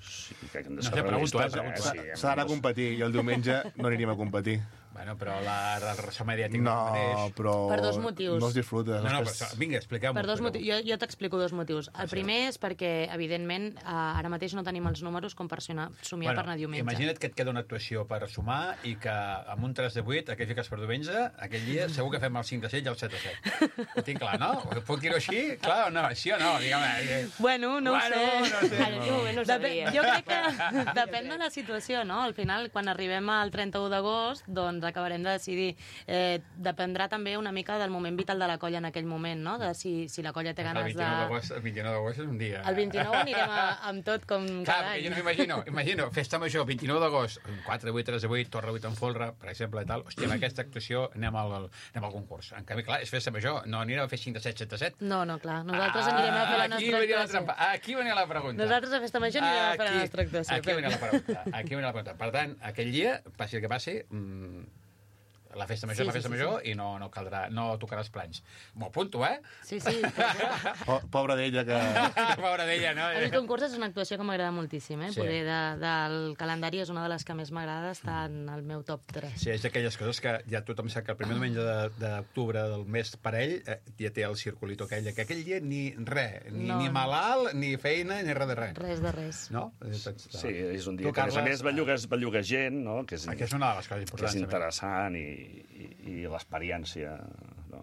Sí, que hem de No ser sé, pregunto, eh, realistes, pregunto. Sí, S'ha d'anar a competir i el diumenge no aniríem a competir. Bueno, però la, la ressò mediàtica No, mateix... però... Per dos motius. No es disfruta. No, no, Després- però, vinga, expliqueu-m'ho. Per dos expliqueu-m'ho. motius. Jo, jo t'explico dos motius. El primer és perquè, evidentment, eh, ara mateix no tenim els números com per sonar, somiar per anar diumenge. Imagina't que et queda una actuació per sumar i que amb un tres de vuit, aquell fiques per diumenge, aquell dia segur que fem el cinc de set i el set de set. Ho tinc clar, no? Puc dir-ho així? Clar o no? Sí o no? Digue'm. Bueno, no bueno, ho sé. no sé. En aquell moment no ho Depen, sabria. jo crec que depèn de la situació, no? Al final, quan arribem al trenta-u d'agost, doncs acabarem de decidir. Eh, dependrà també una mica del moment vital de la colla en aquell moment, no? De si, si la colla té El ganes vint-i-nou de... d'agost el vint-i-nou d'agost és un dia... El vint-i-nou anirem a, amb tot com Clar, cada perquè jo any. no m'imagino, imagino, festa major, vint-i-nou d'agost, quatre de vuit, tres de vuit, Torre de vuit en folre, per exemple, i tal. Hòstia, amb aquesta actuació anem al, anem al concurs. En canvi, clar, és festa major, no anirem a fer cinc de set, set de set. No, no, clar. Nosaltres anirem a fer la aquí nostra venia la actuació. trampa. Aquí venia la pregunta. Nosaltres a festa major anirem a fer la Aquí- nostra actuació. Aquí venia la pregunta. Aquí venia la pregunta. Per tant, aquell dia, passi el que passi, mmm, la festa major Sí, és la sí, festa sí, major i no, no caldrà, no tocaràs planys. M'ho apunto, eh? Sí, sí. Po- Pobra d'ella que... Pobra d'ella, no? El concurs és una actuació que m'agrada moltíssim, eh? Sí. Poder de, del calendari és una de les que més m'agrada, està en el meu top tres. Sí, és d'aquelles coses que ja tothom sap que el primer diumenge de- d'octubre del mes per ell eh, ja té el circulito aquell, que aquell dia ni res, ni, No, ni no. malalt, ni feina, ni res de res. Res de res. No? Eh, Tots, Sí, és un dia Tu, que, a més a Carles, més, bellugues, bellugues gent, no? Que és, Aquí és una de les coses que és importants. també. interessant i, i, i l'experiència. No,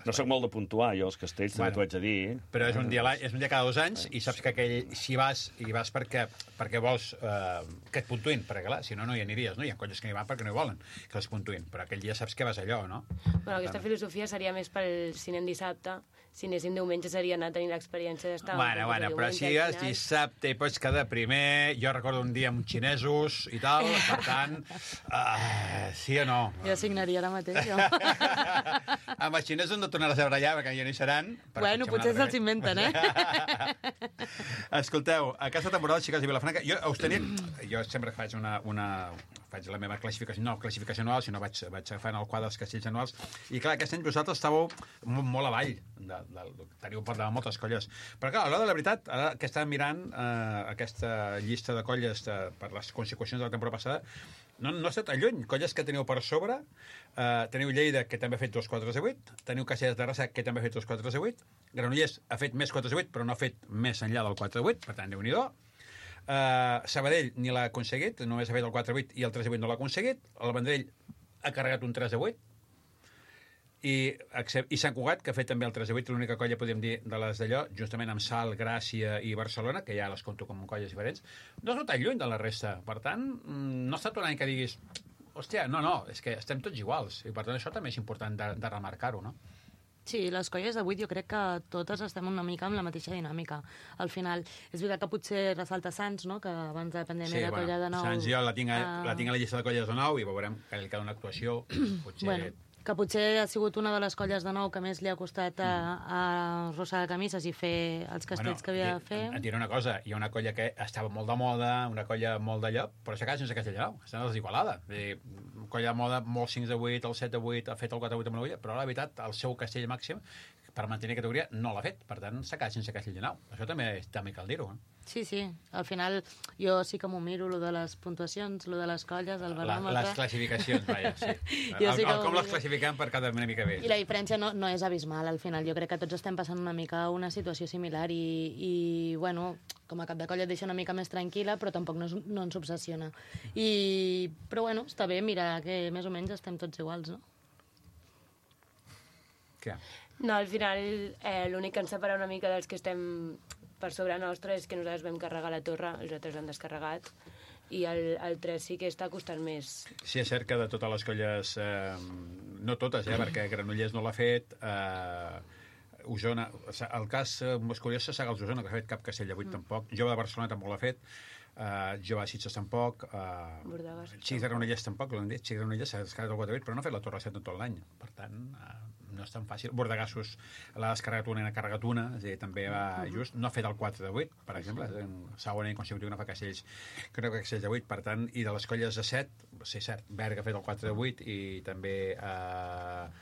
no soc molt de puntuar, jo, els castells, també Bueno, t'ho haig de dir. Però és un dia, a l'any- és un dia cada dos anys i saps que aquell, si vas, i vas perquè, perquè vols eh, que et puntuïn, perquè clar, si no, no hi aniries, no? Hi ha colles que no hi van perquè no hi volen que les puntuïn, però aquell dia saps que vas allò, no? Bueno, aquesta filosofia seria més pel si anem dissabte. Si anéssim diumenge seria anar a tenir l'experiència d'estar... Bueno, bueno, però si vas dissabte i pots quedar primer, jo recordo un dia amb xinesos i tal, per tant, uh, sí o no? Jo signaria ara mateix, jo. Amb els xinesos no tornaràs a barallar, perquè ja no hi seran. però Bueno, potser se'ls inventen, eh? Escolteu, aquesta temporada, xiques de Vilafranca, jo us tenia... Jo sempre faig una... una faig la meva classificació, no classificació anual, sinó vaig, vaig agafant el quadre dels castells anuals, i clar, aquest any vosaltres estàveu molt, molt avall, de, de, de, teniu per davant moltes colles. Però clar, a l'hora de la veritat, ara que estàvem mirant eh, aquesta llista de colles de, per les conseqüències de la temporada passada, no, no ha estat tan lluny. Colles que teniu per sobre, eh, teniu Lleida, que també ha fet dos quatre de vuit, teniu Castellers de Terrassa, que també ha fet dos quatre de vuit, Granollers ha fet més quatre de vuit, però no ha fet més enllà del quatre de vuit, per tant, déu-n'hi-do. Uh, Sabadell ni l'ha aconseguit, només ha fet el quatre vuit i el tres vuit no l'ha aconseguit. El Vendrell ha carregat un tres vuit I, i Sant Cugat, que ha fet també el tres a vuit, l'única colla, podríem dir, de les d'allò, justament amb Salt, Gràcia i Barcelona, que ja les compto com colles diferents, no és tan lluny de la resta. Per tant, no ha estat un any que diguis hòstia, no, no, és que estem tots iguals. I per tant això també és important de, de remarcar-ho, no? Sí, les colles d'avui jo crec que totes estem una mica amb la mateixa dinàmica. Al final, és veritat que potser ressalta Sants, no?, que abans de la pandèmia sí, era bueno, colla de nou. Sants jo la tinc, a, uh... la tinc a la llista de colles de nou i veurem que li queda una actuació. Potser... Bueno, que potser ha sigut una de les colles de nou que més li ha costat a, a arrossegar camises i fer els castells bueno, que havia de fer. Et diré una cosa, hi ha una colla que estava molt de moda, una colla molt d'allò, però s'ha quedat sense castell de nou, està desigualada. Una colla de moda, molt cinc de vuit, el set de vuit, ha fet el quatre de vuit amb l'Ulla, però la veritat, el seu castell màxim, per mantenir categoria, no l'ha fet. Per tant, s'ha quedat sense castell de nou. Això també, també cal dir-ho. Eh? Sí, sí. Al final, jo sí que m'ho miro, lo de les puntuacions, lo de les colles, el baròmetre... Les classificacions, vaja, sí. jo el, sí el, com les classifiquem per cada una mica bé. I la diferència no, no és abismal, al final. Jo crec que tots estem passant una mica una situació similar i, i bueno, com a cap de colla et deixa una mica més tranquil·la, però tampoc no, no ens obsessiona. I, però bueno, està bé mirar que més o menys estem tots iguals, no? Què? No, al final eh, l'únic que ens separa una mica dels que estem per sobre nostre és que nosaltres vam carregar la torre, els altres l'han descarregat, i el, el tres sí que està costant més. Sí, és cert que de totes les colles, eh, no totes, eh, perquè Granollers no l'ha fet, eh, Osona, el cas eh, més curiós és Sagals Osona, que ha fet cap castell de vuit mm. tampoc, Jove de Barcelona tampoc l'ha fet, Uh, Jove de Sitges tampoc, uh, Xic de Granollers tampoc, l'han dit, Xic de Granollers s'ha descarregat el quatre vuit, però no ha fet la Torre set en tot l'any, per tant, uh, no és tan fàcil. Bordegassos l'ha descarregat una i n'ha carregat una, és a dir, també va just, no ha fet el quatre de vuit, per exemple, en segon any consecutiu no fa castells, crec que castells de vuit, per tant, i de les colles de set, sí, cert, Berga ha fet el quatre de vuit i també uh,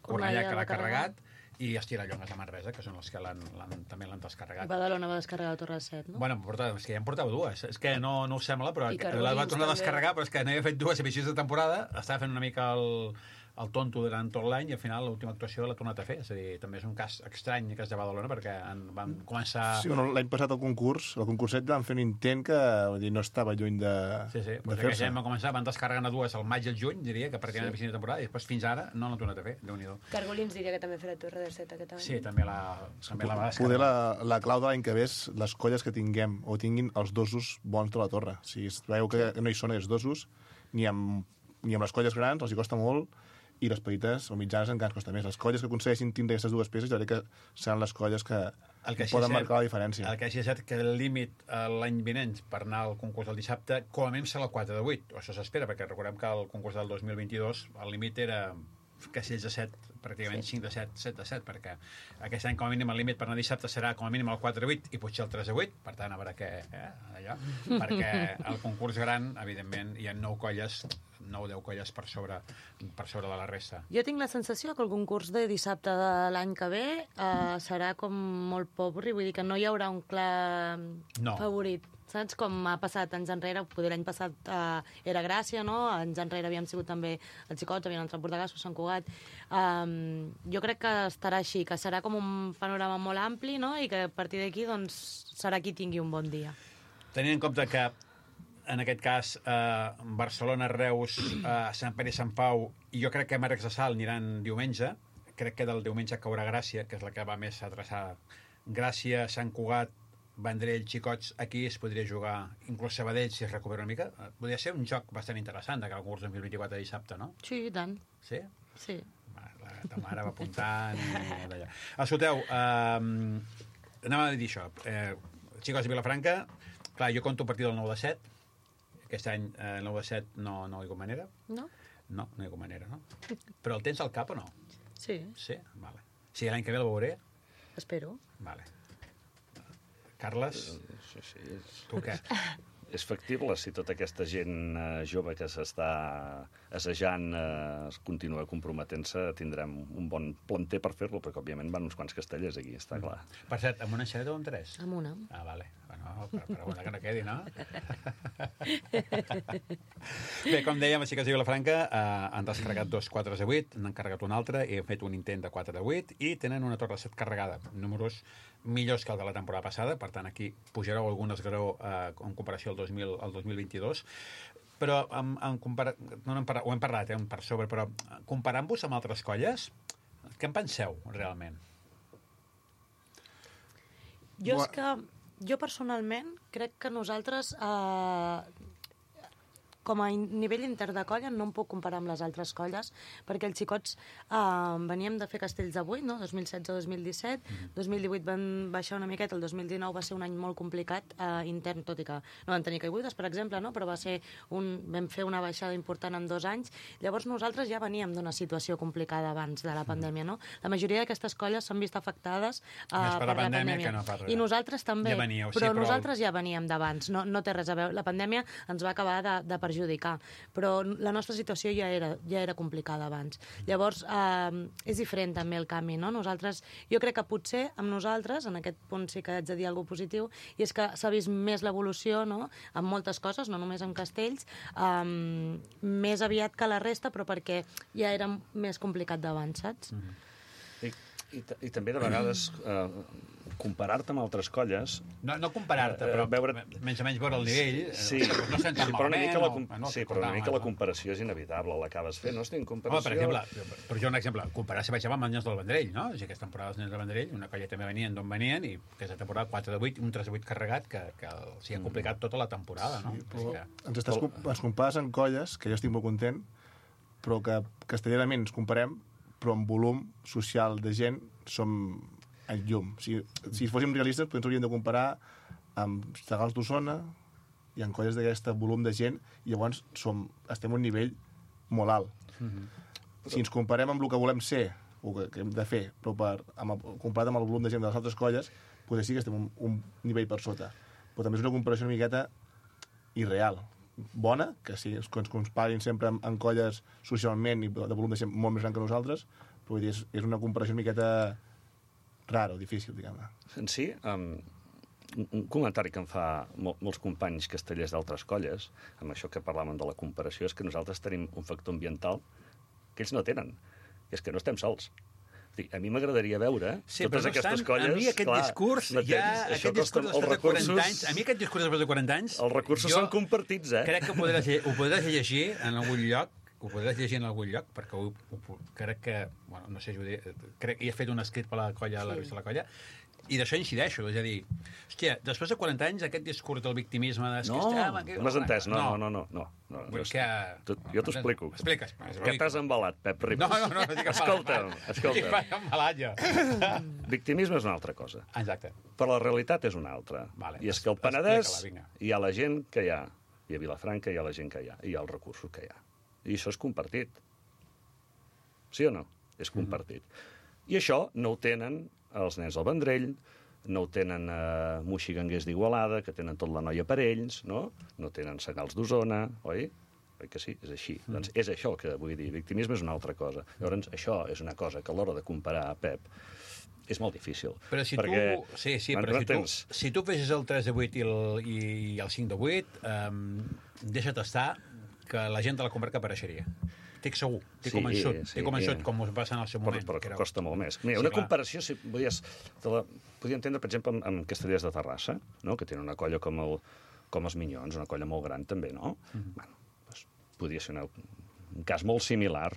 Cornellà que l'ha carregat, i Estirallongues de Manresa, que són els que l'han, l'han, també l'han descarregat. Badalona va descarregar la Torre set, no? Bueno, porta, és que ja en portava dues. És que no, no us sembla, però la va tornar a descarregar, però és que no havia fet dues emissions de temporada, estava fent una mica el, el tonto durant tot l'any i al final l'última actuació l'ha tornat a fer. És a dir, també és un cas estrany que és de Badalona, perquè en, van començar... Sí, bueno, l'any passat el concurs, el concurset van fer un intent que vull dir, no estava lluny de, sí, sí, de fer-se. Ja van començar, van descarregant a dues al maig i al juny, diria, que pràcticament sí. emissió de temporada, i després fins ara no l'han tornat a fer, Déu-n'hi-do. Cargolins diria que també ha fet la Torre de set aquest any. Sí, també la, també la va descarregar. Poder la, la clau de l'any que ve és les colles que tinguem o tinguin els dosos bons de la torre. O sigui, es veu que no hi són aquests dosos, ni amb, ni amb les colles grans els hi costa molt, i les petites o mitjanes encara ens costa més. Les colles que aconsegueixin tindre aquestes dues peces jo crec que seran les colles que, el que poden cert, marcar la diferència. El que sí és cert que el límit l'any vinent per anar al concurs del dissabte com a mínim serà el quatre de vuit. O això s'espera, perquè recordem que el concurs del dos mil vint-i-dos el límit era castells de set, pràcticament sí. cinc de set, set de set, perquè aquest any com a mínim el límit per anar dissabte serà com a mínim el quatre de vuit i potser el tres de vuit, per tant a veure què, eh, allò, perquè el concurs gran, evidentment, hi ha nou colles, nou o deu colles per sobre, per sobre de la resta. Jo tinc la sensació que el concurs de dissabte de l'any que ve eh, serà com molt pobri, vull dir que no hi haurà un clar no. favorit. Saps? Com ha passat anys enrere, poder l'any passat eh, era Gràcia, no? Anys enrere havíem sigut també els Xicots, havien entrat Bordegassos, Sant Cugat. Um, jo crec que estarà així, que serà com un panorama molt ampli, no? I que a partir d'aquí doncs, serà qui tingui un bon dia. Tenint en compte que en aquest cas eh, Barcelona, Reus, eh, Sant Pere i Sant Pau, i jo crec que Marcs de Salt aniran diumenge, crec que del diumenge caurà Gràcia, que és la que va més a traçar Gràcia, Sant Cugat, Vendrell, Xicots, aquí es podria jugar, inclús Sabadell, si es recupera una mica. Podria ser un joc bastant interessant de que el curs dos mil vint-i-quatre de dissabte, no? Sí, i tant. Sí? Sí. La ta mare va apuntant i d'allà. Escolteu, eh, anem a dir això. Eh, Xicots de Vilafranca, clar, jo conto a partir del nou de set. Aquest any eh, el nou de set no, no hi ha manera. No? No, no hi ha manera, no? Però el tens al cap o no? Sí. Sí? Vale. Sí, l'any que ve el veuré? Espero. Vale. Carles, sí, sí, és... tu què? És factible si tota aquesta gent eh, jove que s'està assajant eh, es continua comprometent-se, tindrem un bon planter per fer-lo, perquè òbviament van uns quants castellers aquí, està clar. Per cert, amb una enxaneta o amb tres? Amb una. Ah, vale. Bueno, per, per una que no quedi, no? Bé, com dèiem, els Xicots de Vilafranca eh, han descarregat dos quatre de vuit, n'han carregat un altre i han fet un intent de quatre de vuit i tenen una torre de set carregada, números millors que el de la temporada passada, per tant aquí pujareu algun esglaó eh, en comparació al dos mil, al dos mil vint-i-dos, però en, en compara... no, no, ho hem parlat eh, per sobre, però comparant-vos amb altres colles, Què en penseu, realment? Jo és que, jo personalment, crec que nosaltres, eh, com a nivell inter de colla, no em puc comparar amb les altres colles, perquè els xicots eh, veníem de fer Castells de vuit, no? dos mil setze dos mil disset, mm-hmm. dos mil divuit van baixar una miqueta, el dos mil dinou va ser un any molt complicat eh, intern, tot i que no van tenir caigudes, per exemple, no? Però va ser un, vam fer una baixada important en dos anys. Llavors nosaltres ja veníem d'una situació complicada abans de la pandèmia, no? La majoria d'aquestes colles s'han vist afectades eh, per, per la pandèmia. pandèmia que no per res. I nosaltres també, ja veníeu, però, sí, però nosaltres ja veníem d'abans, no, no té res a veure. La pandèmia ens va acabar de, de perjudicar, però la nostra situació ja era, ja era complicada abans. Llavors, eh, és diferent també el canvi, no? Nosaltres, jo crec que potser amb nosaltres, en aquest punt sí que haig de dir alguna cosa positiu, i és que s'ha vist més l'evolució, no?, amb moltes coses, no només amb castells, eh, més aviat que la resta, però perquè ja era més complicat d'abans, saps? Mm-hmm. I, i, I també de vegades eh, comparar-te amb altres colles... No, no comparar-te, però eh, veure... menys o menys veure el nivell. Sí, no estem tan sí, però una malament. mica la, com... No, no, sí, però una mica la comparació és inevitable, l'acabes fent, no? Estic en comparació... Home, per exemple, per jo un exemple, comparar si baixava amb els Nens del Vendrell, no? O sigui, aquesta temporada els Nens del Vendrell, una colla també venien d'on venien, i aquesta temporada quatre de vuit, un tres de vuit carregat, que, que s'hi ha complicat tota la temporada, no? Sí, però que... ens, estàs, ens compares en colles, que jo estic molt content, però que castellanament ens comparem, però en volum social de gent som en llum. Si, si fóssim realistes, potser ens hauríem de comparar amb Sagals d'Osona i en colles d'aquest volum de gent, i llavors som, estem a un nivell molt alt. Mm-hmm. Si ens comparem amb el que volem ser, o que, que hem de fer, però per, amb, comparat amb el volum de gent de les altres colles, potser sí que estem un, un nivell per sota. Però també és una comparació una miqueta irreal. Bona, que sí, que ens comparin sempre en, en colles socialment i de volum de gent molt més gran que nosaltres, però vull dir, és, és una comparació una miqueta rara o difícil, diguem-ne. En si, um, un comentari que em fa mol, molts companys castellers d'altres colles, amb això que parlàvem de la comparació, és que nosaltres tenim un factor ambiental que ells no tenen, i és que no estem sols. A mi m'agradaria veure sí, totes no aquestes estan, colles... A mi aquest clar, discurs, ja, aquest discurs dels recursos, quaranta anys, a mi aquest discurs després de quaranta anys... Els recursos són compartits, eh? Crec que ho podràs, ho podràs llegir en algun lloc, ho podràs llegir en algun lloc, perquè ho, ho, crec que, bueno, no sé, diré, crec que he fet un escrit per la colla, sí. La revista de la colla, i d'això incideixo, és a dir, hòstia, després de quaranta anys aquest discurs del victimisme... No, no m'has entès, no, no, no, no. no, no, no que... tu, jo t'ho explico. Expliques. Que t'has embalat, Pep Ribas. No, no, no, no dic escolta'm, escolta'm. Dic embalat, jo. Victimisme és una altra cosa. Exacte. Però la realitat és una altra. Vale, I és que al Penedès hi ha la gent que hi ha, i a Vilafranca hi ha la gent que hi ha, i hi ha els recursos que hi ha. I això és compartit. Sí o no? És compartit. Mm-hmm. I això no ho tenen els Nens del Vendrell, no ho tenen eh, moixiganguers d'Igualada, que tenen tot la noia per ells, no? No tenen Sagals d'Osona, oi? Oi que sí? És així. Mm. Doncs és això que vull dir. Victimisme és una altra cosa. Llavors, això és una cosa que a l'hora de comparar a Pep és molt difícil. Però si perquè... tu... Sí, sí, però si tu, si tu fessis el tres de vuit i el, i, i el cinc de vuit, um, deixa't estar que la gent de la comarca apareixeria. Estic segur, estic sí, convençut, sí, estic convençut, com us passa en el seu moment. Però, però que costa molt més. Mira, sí, una clar. Comparació, si volies, te la podia entendre, per exemple, amb, amb Castellers de Terrassa, no? Que tenen una colla com, el, com els Minyons, una colla molt gran també, no? Mm-hmm. Bueno, doncs, podria ser una, un cas molt similar,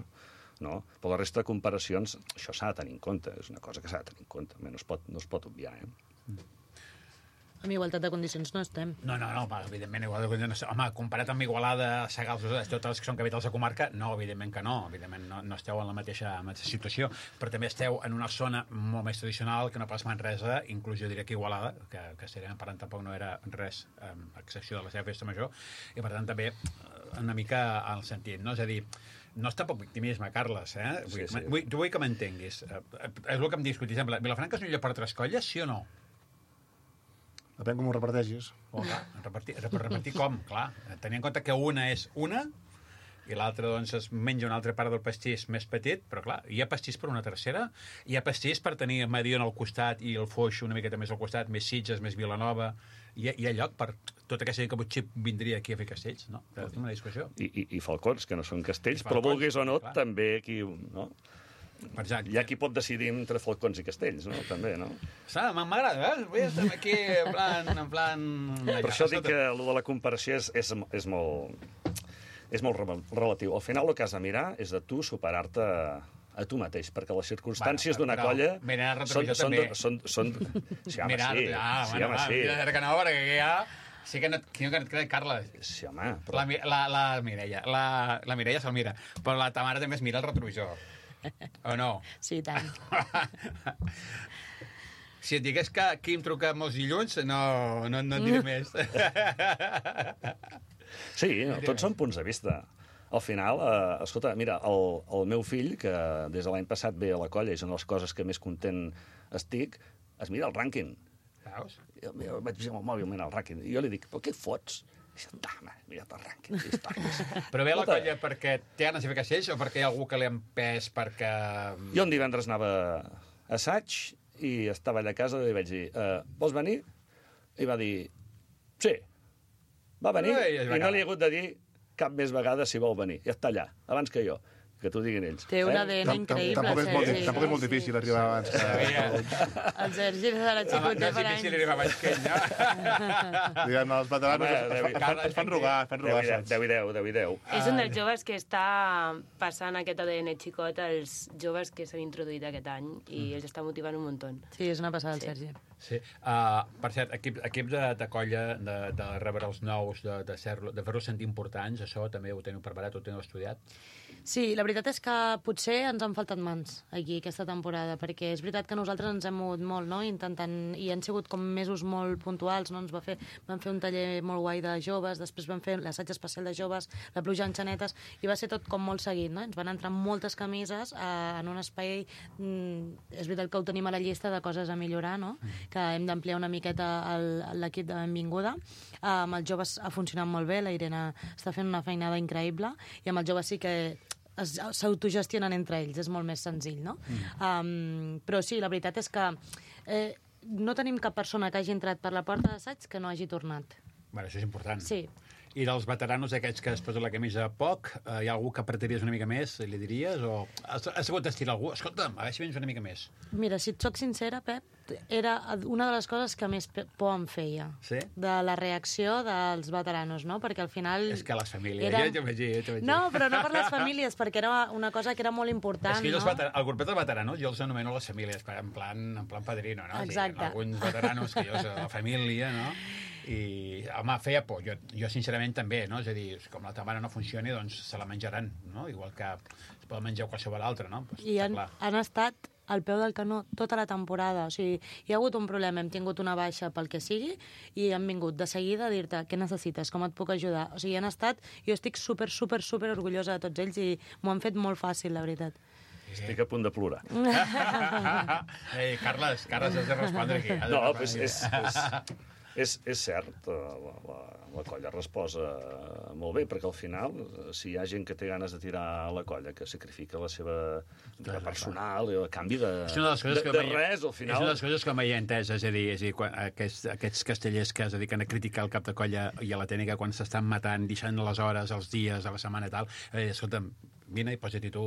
no? Però la resta de comparacions, això s'ha de tenir en compte, és una cosa que s'ha de tenir en compte, no es pot, no es pot obviar, eh? Mm. Amb igualtat de condicions no estem. No, no, no, evidentment, igualtat de condicions. Home, comparat amb Igualada, Sagals, totes les que són capitals de comarca, no, evidentment que no. Evidentment no, no esteu en la mateixa, mateixa situació, però també esteu en una zona molt més tradicional que no pas Manresa, inclús jo diria que Igualada, que, que serem parlant tampoc no era res, a excepció de la seva festa major, i per tant també una mica al sentit, no? És a dir, no és tampoc victimisme, Carles, eh? Vull, sí, sí. Vull, vull que m'entenguis. És el que em discutis. Exemple, Vilafranca és un lloc per altres colles, sí o no? Depèn com ho reparteixis. Oh, clar, repartir, repartir com? Clar, tenint en compte que una és una i l'altra, doncs, es menja una altra part del pastís més petit, però, clar, hi ha pastís per una tercera, hi ha pastís per tenir Mediona al costat i el Foix una miqueta més al costat, més Sitges, més Vilanova, hi ha, hi ha lloc per tota aquesta gent que potser vindria aquí a fer castells, no? És una discussió. I, i, i falcons, que no són castells, falcons, però vulguis o no, clar. També aquí, no? Exacte. Hi ha qui pot decidir entre falcons i castells, no? També, no? M'agrada, eh? Vull estar aquí en plan... En plan... Per això dic que el de la comparació és, és, és molt... és molt relatiu. Al final el que has de mirar és de tu superar-te a tu mateix, perquè les circumstàncies Bueno, d'una però colla mirar el són, retrovisor són, també. de- són, són... Sí, home, Mirar, sí. ah, Sí, bueno, home, va, sí. mira, que no, perquè aquí ja... Sí que no, que no et crec, Carla. Sí, home, però... La, Mi- la, la Mireia, la, la Mireia se'l mira, però la Tamara també es mira el retrovisor. O no? Sí, i tant. Si et digués que Quim truca molts dilluns, no, no, no et diré més. Sí, no, tots són punts de vista. Al final, eh, escolta, mira, el, el meu fill, que des de l'any passat ve a la colla i és una de les coses que més content estic, es mira el rànquing. Veus? Jo, jo vaig amb el mòbil mirant el rànquing i jo li dic, però què fots? I dic, home, mira't el rànquing. Històries. Però ve a la Escolta, colla perquè té ganes de fer castells o perquè hi ha algú que li ha empès perquè... Jo un divendres anava a assaig i estava allà a casa i li vaig dir, eh, vols venir? I va dir, sí. Va venir Ei, és i no vegada. li he hagut de dir cap més vegada si vol venir. Ja està allà, abans que jo, que t'ho diguin ells. Té un A D N Tam- tam- increïble, Tampoc és molt, Sergi. tampoc és molt difícil arribar abans que... El Sergi de la Home, no xicoter és per difícil anys. arribar abans que ell, no? Diguem, els veteranos Home, es, es, David, fan, es, fan, es fan rogar, es fan rogar. deu i deu, saps? deu i deu, deu i deu. És un dels joves que està passant aquest A D N xicot als joves que s'han introduït aquest any i els està motivant un muntó. Sí, és una passada, el Sergi. Sí. Uh, per cert, equip, equip de, de colla, de, de rebre els nous, de, de, ser, de fer-los sentir importants, això també ho teniu preparat, ho teniu estudiat? Sí, la veritat és que potser ens han faltat mans aquí aquesta temporada, perquè és veritat que nosaltres ens hem mogut molt, no?, intentant, i han sigut com mesos molt puntuals, no?, ens va fer, vam fer un taller molt guai de joves, després vam fer l'assaig especial de joves, la pluja en xanetes, i va ser tot com molt seguit, no?, ens van entrar moltes camises eh, en un espai, mm, és veritat que ho tenim a la llista de coses a millorar, no?, que hem d'ampliar una miqueta el- l'equip de benvinguda, eh, amb els joves ha funcionat molt bé, la Irene està fent una feinada increïble, i amb els joves sí que es- s'autogestionen entre ells, és molt més senzill, no? Mm. Um, però sí, la veritat és que eh, no tenim cap persona que hagi entrat per la porta d'assaig que no hagi tornat. Bueno, això és important. Sí. I dels veteranos aquests que es posen la camisa poc, eh, hi ha algú que apretaries una mica més, li diries? O has, has hagut d'estirar algú? Escolta'm, a veure si vens una mica més. Mira, si et soc sincera, Pep, era una de les coses que més pe- por em feia. Sí? De la reacció dels veteranos, no? Perquè al final... És que les famílies, Era- ja t'ho vaig dir, ja t'ho vaig dir. No, però no per les famílies, perquè era una cosa que era molt important, És que jo els no? veter... el grupet dels veteranos jo els anomeno les famílies, en plan, en plan padrino, no? Exacte. Sí, alguns veteranos que jo soc la família, no? I, home, feia por. Jo, jo sincerament, també, no? És a dir, com la Tamara no funcioni, doncs se la menjaran, no? Igual que es pot menjar qualsevol altre, no? Pues, I està han, clar. han estat al peu del canó tota la temporada. O sigui, hi ha hagut un problema, hem tingut una baixa pel que sigui, i han vingut de seguida a dir-te què necessites, com et puc ajudar. O sigui, han estat... Jo estic super, super, super orgullosa de tots ells i m'ho han fet molt fàcil, la veritat. Estic a punt de plorar. Ei, Carles, Carles, has de respondre aquí. Has de No, respondre pues aquí. és, és, és, és cert, eh, la, la, la colla resposa molt bé, perquè al final, eh, si hi ha gent que té ganes de tirar a la colla, que sacrifica la seva vida personal, i a canvi de, És una de les coses de, que de mai- res, al És final... una de les coses que mai he entès, és a dir, és a dir quan, aquests, aquests castellers que es dediquen a criticar el cap de colla i a la tècnica quan s'estan matant, deixant les hores, els dies, a la setmana i tal, eh, escolta'm, vine i posa-t'hi tu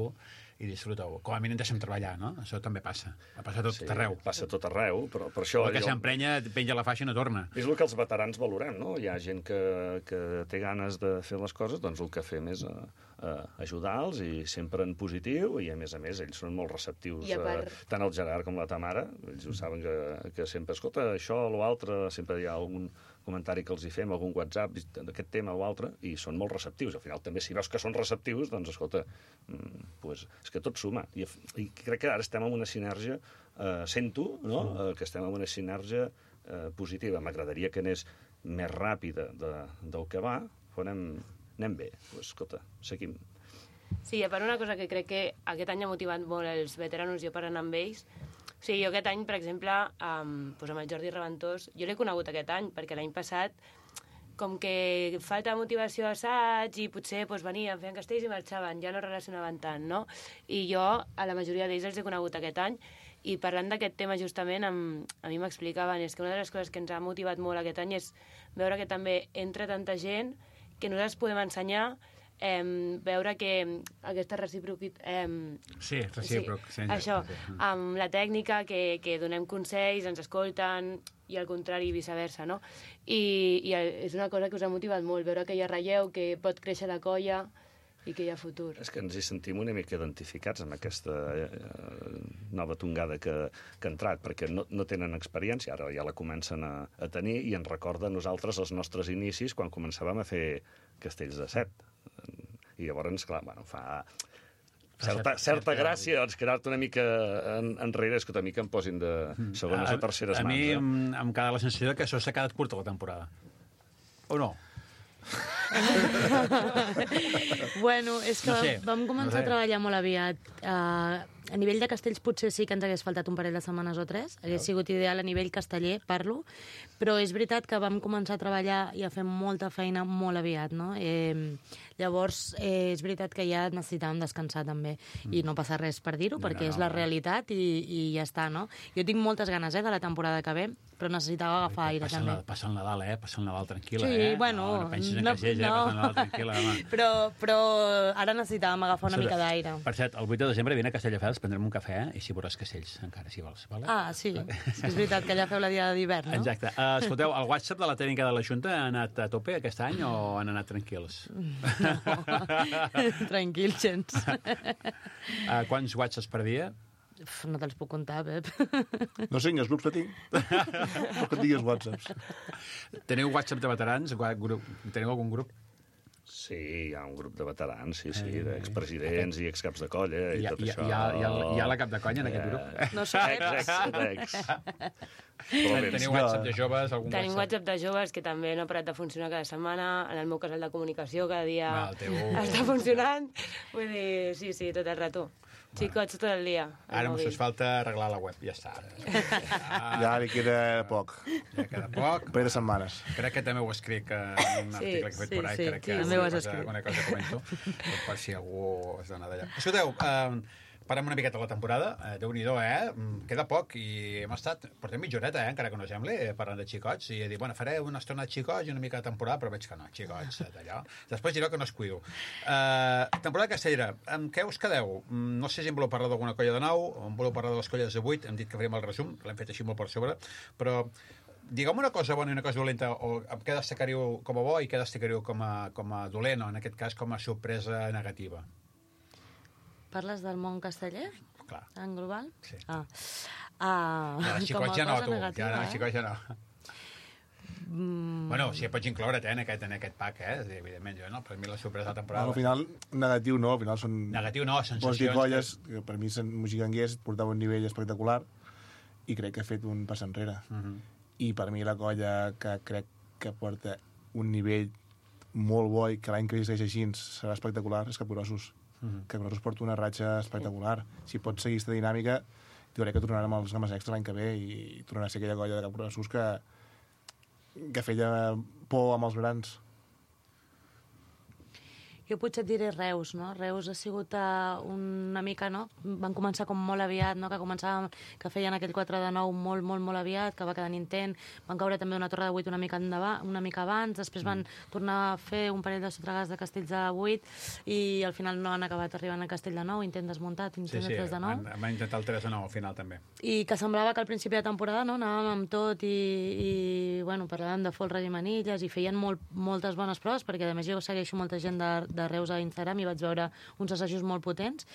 i disfruta-ho. Com a mínim deixa'm treballar, no? Això també passa. Ha passat tot Sí, arreu. passa tot arreu, però per això... El que allò- s'emprenya, penja la faixa i no torna. És el que els veterans valorem, no? Hi ha gent que, que té ganes de fer les coses, doncs el que fem és uh, uh, ajudar-los i sempre en positiu, i a més a més ells són molt receptius, I a part- uh, tant el Gerard com la Tamara, ells ho saben que, que sempre, escolta, això o l'altre, sempre hi ha algun comentari que els hi fem, algun WhatsApp d'aquest tema o altre, i són molt receptius. Al final també si veus que són receptius, doncs escolta, mm, pues, és que tot suma. I, I crec que ara estem en una sinergia, eh, sento, no?, eh, que estem en una sinergia eh, positiva. M'agradaria que anés més ràpida de, del que va, però anem, anem bé. Pues, escolta, seguim. Sí, a part una cosa que crec que aquest any ha motivat molt els veteranos, jo per anar amb ells, o sigui, jo aquest any, per exemple, um, doncs amb el Jordi Reventós, jo l'he conegut aquest any, perquè l'any passat, com que falta de motivació a assaig i potser doncs, venien, feien castells i marxaven, ja no relacionaven tant, no? I jo a la majoria d'ells els he conegut aquest any, i parlant d'aquest tema justament, amb, a mi m'explicaven, és que una de les coses que ens ha motivat molt aquest any és veure que també entra tanta gent que nosaltres podem ensenyar, eh, veure que aquesta recíproc... Eh, Sí, recíproc. Sí, això, amb la tècnica, que, que donem consells, ens escolten, i al contrari, viceversa, no? I, i és una cosa que us ha motivat molt, veure que hi ha relleu, que pot créixer la colla, i que hi ha futur. És que ens hi sentim una mica identificats amb aquesta eh, nova tongada que, que ha entrat, perquè no, no tenen experiència, ara ja la comencen a, a tenir, i ens recorda a nosaltres els nostres inicis quan començàvem a fer castells de set. I llavors, clar, bueno, fa certa, certa gràcia doncs, quedar-te una mica en, enrere, és que una mica em posin de segones a, o terceres a mans. mi eh? em, em queda la sensació que això s'ha quedat curta la temporada. O no? Bueno, és que No sé, vam començar no sé. a treballar molt aviat. Uh, a nivell de castells potser sí que ens hagués faltat un parell de setmanes o tres. Hagués sigut ideal a nivell casteller, parlo. Però és veritat que vam començar a treballar i a fer molta feina molt aviat, no? Eh, llavors, eh, és veritat que ja necessitàvem descansar també. I no passa res per dir-ho, No, perquè no, és la no. realitat i, i ja està, no? Jo tinc moltes ganes, eh, de la temporada que ve, però necessitava agafar aire Passa el, també. passa el Nadal, eh? Passa el Nadal tranquil·la, Sí, eh? bueno, No, no pensis en no- caixers, eh? no. Passa el Nadal tranquil·la, home. Però, però ara necessitàvem agafar una mica d'aire. Per cert, el vuit de desembre vine a Castelldefels, prendrem un cafè, eh? I si veuràs castells, encara, si vols. Vale? Ah, sí. És veritat que ja feu la diada d'hivern, no? Exacte. Uh, escolteu, el WhatsApp de la tècnica de la Junta ha anat a tope aquest any o han anat tranquils? Tranquil, gens. Uh, quants whatsapps per dia? Uf, no te'ls puc contar, Pep. No sé, ni els grups que tinc. Però que et diguis whatsapps. Teniu WhatsApp de veterans? Gua- grup- Teniu algun grup? Sí, hi ha un grup de veterans, sí, sí, d'expresidents i excaps de colla i Hi ha, tot hi, ha, això. hi, ha, hi, ha, hi ha la cap de conya en aquest grup? No som Ex, ex. ex, ex. Però bé, Teniu WhatsApp de joves? Algun Tenim WhatsApp? WhatsApp de joves que també no ha parat de funcionar cada setmana. En el meu cas, el de comunicació, cada dia Va, el teu- està funcionant. Vull dir, sí, sí, tot el rato. Xicots tot el dia. al Ara mòbil. us falta arreglar la web, ja està. Ja li queda poc. Ja queda poc. Un parell de setmanes. Crec que també ho escric en un Sí, article que he fet sí, por ahí. sí, Crec que sí, alguna també ho has cosa, escrit. alguna cosa comento, per si algú es dona d'allà. Escolteu, eh, parem una miqueta la temporada. Eh, Déu-n'hi-do, eh? Mm, Queda poc i hem estat... Portem mitja horeta, eh? Encara que no sembli, eh, parlant de xicots. I he dit, bueno, faré una estona de xicots i una mica de temporada, però veig que no, xicots, eh, d'allò. Després direu que no es cuido. Eh, temporada castellera, amb què us quedeu? Mm, No sé si em voleu parlar d'alguna colla de nou, o em voleu parlar de les colles de vuit, hem dit que faríem el resum, l'hem fet així molt per sobre, però digueu-me una cosa bona i una cosa dolenta, o amb què destacaríeu com a bo i què destacaríeu com a, com a dolent, o en aquest cas com a sorpresa negativa. Parles del món casteller? Clar. En global? Sí. Ah. Ah, Ja, els com a xicots ja no, cosa tu. negativa, Ja no, eh? els xicots ja no. Mm, Bueno, si pots incloure't eh, en, aquest, en aquest pack, eh? És a dir, evidentment, jo, no? Per mi la sorpresa de la temporada... Al final, negatiu no, al final són... Negatiu no, Vols dir sensacions... colles, que per mi Sant Mojiganguers portava un nivell espectacular i crec que ha fet un pas enrere. Uh -huh. I per mi la colla que crec que porta un nivell molt bo i que l'any que segueix així serà espectacular és Capgrossos. Uh -huh. Capgrossos porta una ratxa espectacular. Si pot seguir aquesta dinàmica, jo crec que tornarem als games extra l'any que ve i tornarà a ser aquella colla de Capgrossos que, que feia por amb els grans. Jo potser et diré Reus, no? Reus ha sigut uh, una mica, no? Van començar com molt aviat, no? Que començàvem, que feien aquell quatre de nou molt, molt, molt aviat, que va quedar intent. Van caure també una torre de vuit una mica, endavant, una mica abans, després van tornar a fer un parell de sotregades de castells de vuit i al final no han acabat arribant al castell de nou, intent desmuntat, Sí, intent sí, de tres de nou. van, van intentar el tres de nou al final, també. I que semblava que al principi de temporada no, anàvem amb tot i, i bueno, parlàvem de folres i manilles i feien molt, moltes bones proves, perquè a més jo segueixo molta gent de, de Reus a Instagram i vaig veure uns assajos molt potents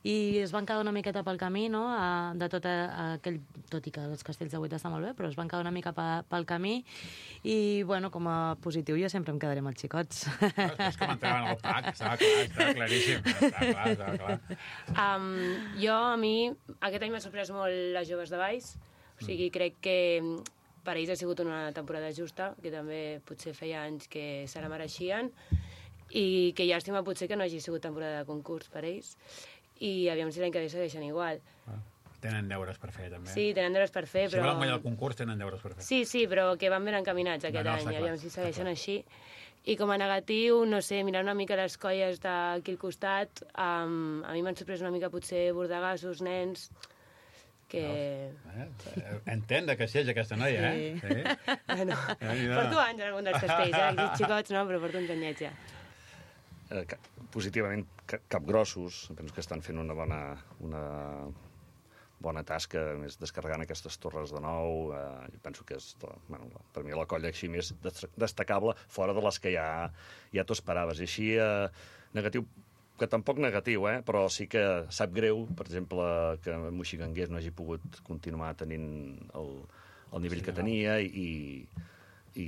i es van quedar una miqueta pel camí, no? A, de tot a, a aquell, tot i que els castells de vuit estan molt bé, però es van quedar una mica pa, pel camí i, bueno, com a positiu jo sempre em quedaré amb els xicots. És com entraven al pack, estava clar, estava claríssim. Estava clar, estava clar. Um, jo, a mi, aquest any m'ha sorprès molt les joves de Valls. O sigui, crec que per ells ha sigut una temporada justa, que també potser feia anys que se la mereixien, i que llàstima potser que no hagi sigut temporada de concurs per ells. I aviam si l'any que ve segueixen igual. Ah, tenen deures per fer, també. Sí, tenen deures per fer, Si però... volen guanyar el concurs, tenen deures per fer. Sí, sí, però que van ben encaminats aquest No, no, any, està i clar, aviam si està segueixen clar. així. I com a negatiu, no sé, mirant una mica les colles d'aquí al costat, um, a mi m'han sorprès una mica potser bordegassos, nens, que... Eh? Entén de que sí, aquesta noia, eh? Sí. Bueno, Eh, mira. porto anys en algun dels castells, eh? Aquests xicots no, però porto uns anyets ja. Eh, ca- positivament, ca- capgrossos, penso que estan fent una bona, una bona tasca, a més descarregant aquestes torres de nou, eh, jo penso que és, la- bueno, la- per mi la colla així més des- destacable, fora de les que ja, ja t'ho esperaves. I així, eh, negatiu, que tampoc negatiu, eh? Però sí que sap greu, per exemple, que Moixigangués no hagi pogut continuar tenint el, el nivell sí, que tenia i, i,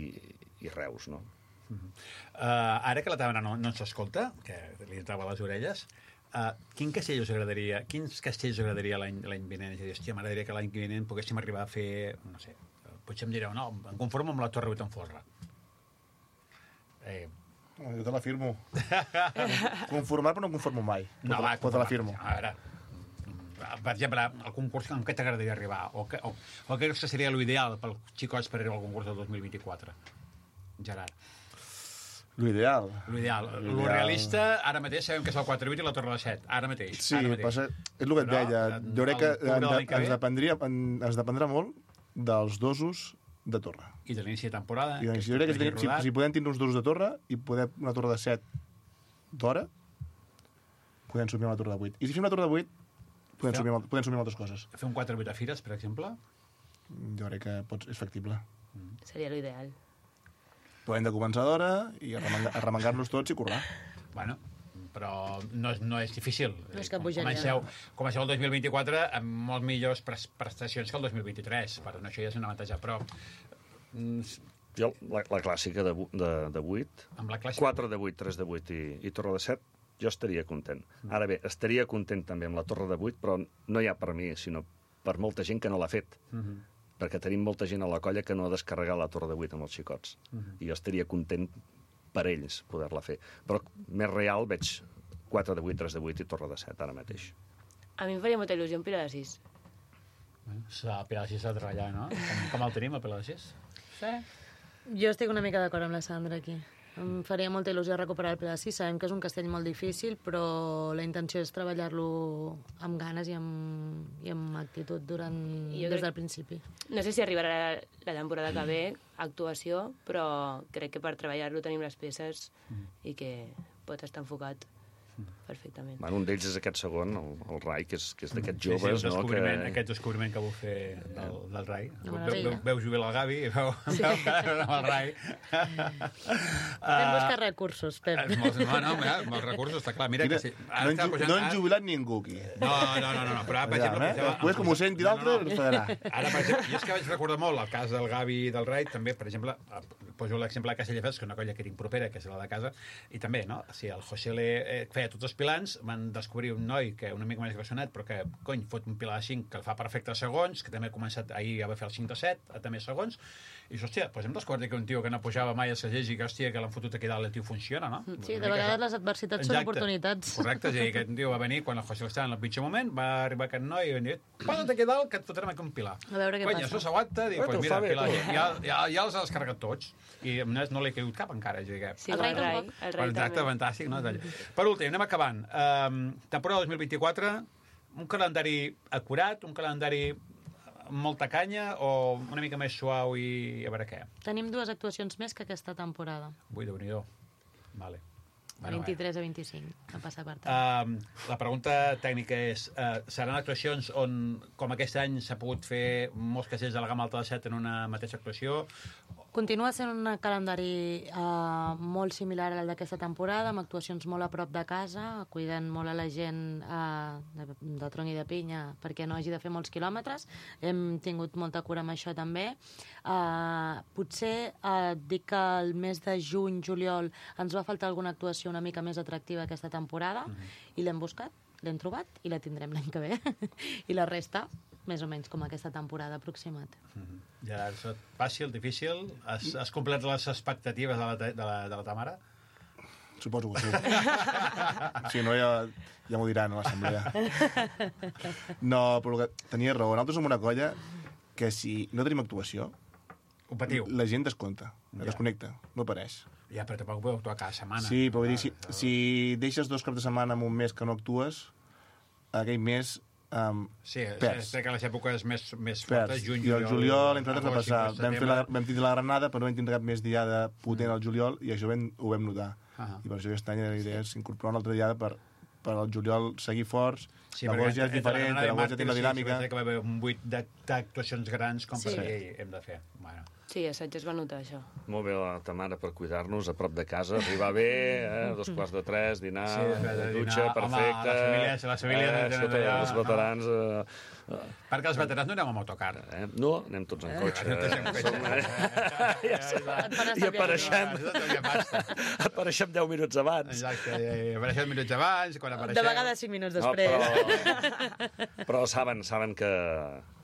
i Reus, no? Uh -huh. uh, ara que la Tàmara no, no ens escolta, que li entrava a les orelles, uh, quin castell us agradaria, quins castells us agradaria l'any vinent? És a dir, hòstia, m'agradaria que l'any vinent poguéssim arribar a fer, no sé, potser em direu, no, em conformo amb la Torre Buitenfolra. Eh... Jo te l'afirmo. Conformar, però no conformo mai. No, va, però te l'afirmo. A veure, per exemple, el concurs en què t'agradaria arribar? O, que, o, o què seria l'ideal pels xicots per arribar al concurs del dos mil vint-i-quatre? Gerard. L'ideal. L'ideal. Lo realista, ara mateix sabem que és el quatre vuit i la Torre de set. Ara mateix. Sí, ara mateix. Passa, és el que et deia. Jo crec que ens dependria, ens dependrà molt dels dosos de torre. I de l'inici de temporada. I de l'inici, jo crec que si, si, si podem tindre uns dosos de torre i podem una torre de set d'hora, podem subir una torre de vuit. I si fem una torre de vuit, podem, subir, podem subir altres coses. Fer un quatre vuit a Fires, per exemple? Jo crec que pots, és factible. Mm. Seria l'ideal. Podem de començar d'hora i arremangar-nos tots i currar. Bueno, però no és, no és difícil. No és que pujaria. Comenceu, comenceu el dos mil vint-i-quatre amb molt millors prestacions que el dos mil vint-i-tres. Per això ja és un avantatge, però... Jo, la, la clàssica de, de, de vuit, amb la clàssica... quatre de vuit, tres de vuit i, i Torre de set, jo estaria content. Mm. Ara bé, estaria content també amb la Torre de vuit, però no hi ha per mi, sinó per molta gent que no l'ha fet. Mm -hmm. Perquè tenim molta gent a la colla que no ha descarregat la Torre de vuit amb els xicots. Uh -huh. I jo estaria content per ells poder-la fer. Però més real veig quatre de vuit, tres de vuit i Torre de set ara mateix. A mi em faria molta il·lusió un Pilar de sis. El Pilar de sis s'ha de treballar, no? Com, com el tenim, el Pilar de sis? Sí. Jo estic una mica d'acord amb la Sandra aquí. Em faria molta il·lusió recuperar el Pilar de sis. Sabem que és un castell molt difícil, però la intenció és treballar-lo amb ganes i amb, i amb actitud durant, des crec, del principi. No sé si arribarà la, la temporada que ve, actuació, però crec que per treballar-lo tenim les peces mm. i que pot estar enfocat perfectament. Bueno, un d'ells és aquest segon, el, el Rai, que és, que és d'aquests sí, joves, sí, no? Que... Aquest Que... descobriment que vau fer del, del Rai. No, veu, veu, veu jubilar el Gavi i veu, sí. veu amb el Rai. Vam buscar recursos, Pep. Uh, molts, no, no, mira, molts recursos, està clar. Mira Quina, que sí. No han pujant, no jubilat ningú aquí. No, no, no, no, però ara, per exemple... Eh? Després, com ho senti l'altre, no, no. ens pagarà. Ara, per exemple, jo és que vaig recordar molt el cas del Gavi i del Rai, també, per exemple, poso l'exemple de Castelldefels, que és una colla que tinc propera, que és la de casa, i també, no? Si el José le feia tots els pilans, van descobrir un noi que una mica més grossonet, però que, cony, fot un pilar de cinc que el fa perfecte a segons, que també ha començat ahir ja va fer el cinc de set, a també segons, i dius, hòstia, doncs hem descobert que un tio que no pujava mai a Sagés i que, hòstia, que l'han fotut aquí dalt, el tio funciona, no? Sí, de vegades les adversitats són oportunitats. Correcte, és a dir, que un tio va venir quan el José estava en el pitjor moment, va arribar aquest noi i va dir, posa't aquí dalt que et fotrem aquí un pilar. A veure què Cony, passa. això s'aguanta, diu, doncs mira, pilar, ja, ja, ja els ha descarregat tots, i no li ha caigut cap encara, és a dir, que... Sí, el Rai tampoc. El Rai també. Fantàstic, no? Per últim, anem acabant. Um, temporada dos mil vint-i-quatre, un calendari acurat, un calendari amb molta canya o una mica més suau i a veure què? Tenim dues actuacions més que aquesta temporada. Ui, déu-n'hi-do. Vale. Bueno, vint-i-tres a vint-i-cinc, no passa per tant. Uh, la pregunta tècnica és, uh, seran actuacions on, com aquest any, s'ha pogut fer molts castells de la gamma alta de set en una mateixa actuació? Continua sent un calendari uh, molt similar al d'aquesta temporada, amb actuacions molt a prop de casa, cuidant molt a la gent uh, de, de tronc i de pinya perquè no hagi de fer molts quilòmetres. Hem tingut molta cura amb això també. Uh, potser uh, dic que el mes de juny, juliol, ens va faltar alguna actuació una mica més atractiva aquesta temporada, uh-huh. i l'hem buscat, l'hem trobat i la tindrem l'any que ve. I la resta, més o menys com aquesta temporada aproximat. Uh-huh. Ja, és fàcil, difícil? Has, has complert les expectatives de la, de la, de la Tamara? Suposo que sí. Si no, ja, ja m'ho diran a l'assemblea. No, però que tenia raó. Nosaltres som una colla que si no tenim actuació, ho patiu. La gent descompta, ja. desconnecta, no apareix. Ja, però tampoc podeu actuar cada setmana. Sí, però vull dir, si, si deixes dos caps de setmana en un mes que no actues, aquell mes um, sí, perds. Sí, que les èpoques més, més perds. fortes, juny, I el juliol, entre altres, va passar. Vam, fer la, setembre... vam tindre la granada, però no vam tindre cap més diada potent al juliol, i això vam, ho vam notar. Uh -huh. I per això aquest any la idea és incorporar una altra diada per, per al juliol seguir forts. Sí, la voz ja és diferent, la voz ja té una dinàmica. Sí, que va haver un vuit d'actuacions grans com sí. per aquí hem de fer. Bueno. Sí, assaig es va notar, això. Molt bé, la Tamara, per cuidar-nos a prop de casa, arribar bé, eh? dos quarts de tres, dinar, Sí, de dinar. dutxa, Home, perfecte. les famílies- les famílies eh, tenen sota allà, els veterans... Eh, eh, Perquè els veterans no anem amb autocar. eh? No, anem tots en cotxe. Anem tots en cotxe. Som, eh? Et fan I estar apareixem, Exacte, apareixem deu minuts abans. i apareixen minuts abans, quan apareixem... De vegades cinc minuts No, després. però, però saben, saben que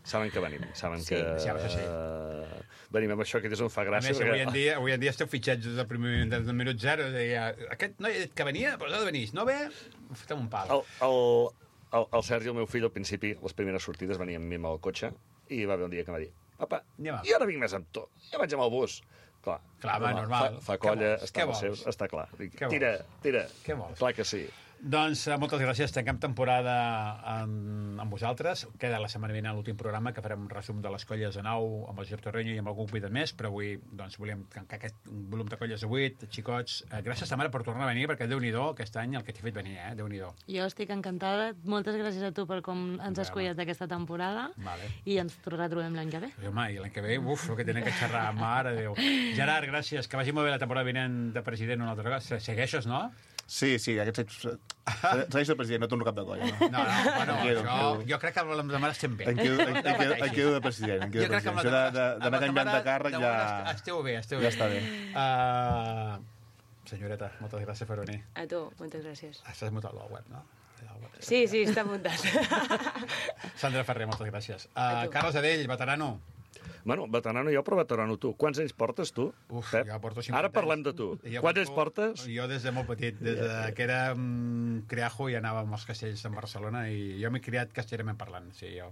saben que venim, saben Sí, que sí, això sí. eh, venim amb això, que és on fa A gràcia. més, avui en dia, avui en dia esteu fitxats des del primer minut, des del minut zero. Deia, aquest noi ha dit que venia, però ha de venir. No ve, fotem un pal. El, el, el, el Sergi, el meu fill, al principi, les primeres sortides, venia amb mi amb el cotxe, i va haver un dia que em va dir, papa, Anem a- jo ara vinc més amb tu, jo vaig amb el bus. Clar, Clar, home, normal. Fa, fa Què colla, vols? està, Què amb els vols? seus, està clar. Dic, Què tira, tira. Què vols? Clar que sí. Doncs eh, moltes gràcies, tanquem temporada amb, amb vosaltres. Queda la setmana vinent l'últim programa, que farem un resum de les colles de nou, amb el Josep Torreño i amb algun convidat més, però avui doncs, volíem tancar aquest volum de colles de vuit, xicots. Eh, gràcies, Tamara, per tornar a venir, perquè Déu-n'hi-do aquest any el que t'he fet venir, eh? Déu-n'hi-do. Jo estic encantada. Moltes gràcies a tu per com ens has Home. cuidat aquesta temporada. Vale. I ens retrobem l'any que ve. I, home, i l'any que ve, uf, el que tenen que xerrar, mare de Déu. Gerard, gràcies, que vagi molt bé la temporada vinent de president una altra vegada. Se- Segueixes, no? Sí, sí, aquest segueix el president, no torno cap de colla. No? No, no, bueno, Em quedo, això, em quedo. jo crec que amb la Tamara estem bé. Em quedo, em, em, quedo, em quedo de president. Em quedo Jo de crec que amb president. la Això de- de- amb d'anar la canviant de Tamara, càrrec de ja... moment Esteu bé, esteu Ja bé. està bé. Uh, senyoreta, moltes gràcies per venir. A tu, moltes gràcies. Estàs mutat al web, no? Al web. Sí, sí, està muntat. Sandra Ferrer, moltes gràcies. A Uh, tu. Carles Adell, veterano. Bueno, veterano jo, però veterano tu. Quants anys portes, tu, Uf, Pep? jo porto cinquanta Ara parlem anys. de tu. Jo Quants anys portes? Jo des de molt petit, des de que era um, criajo i anàvem als castells de Barcelona i jo m'he criat castellerament parlant, sí, jo.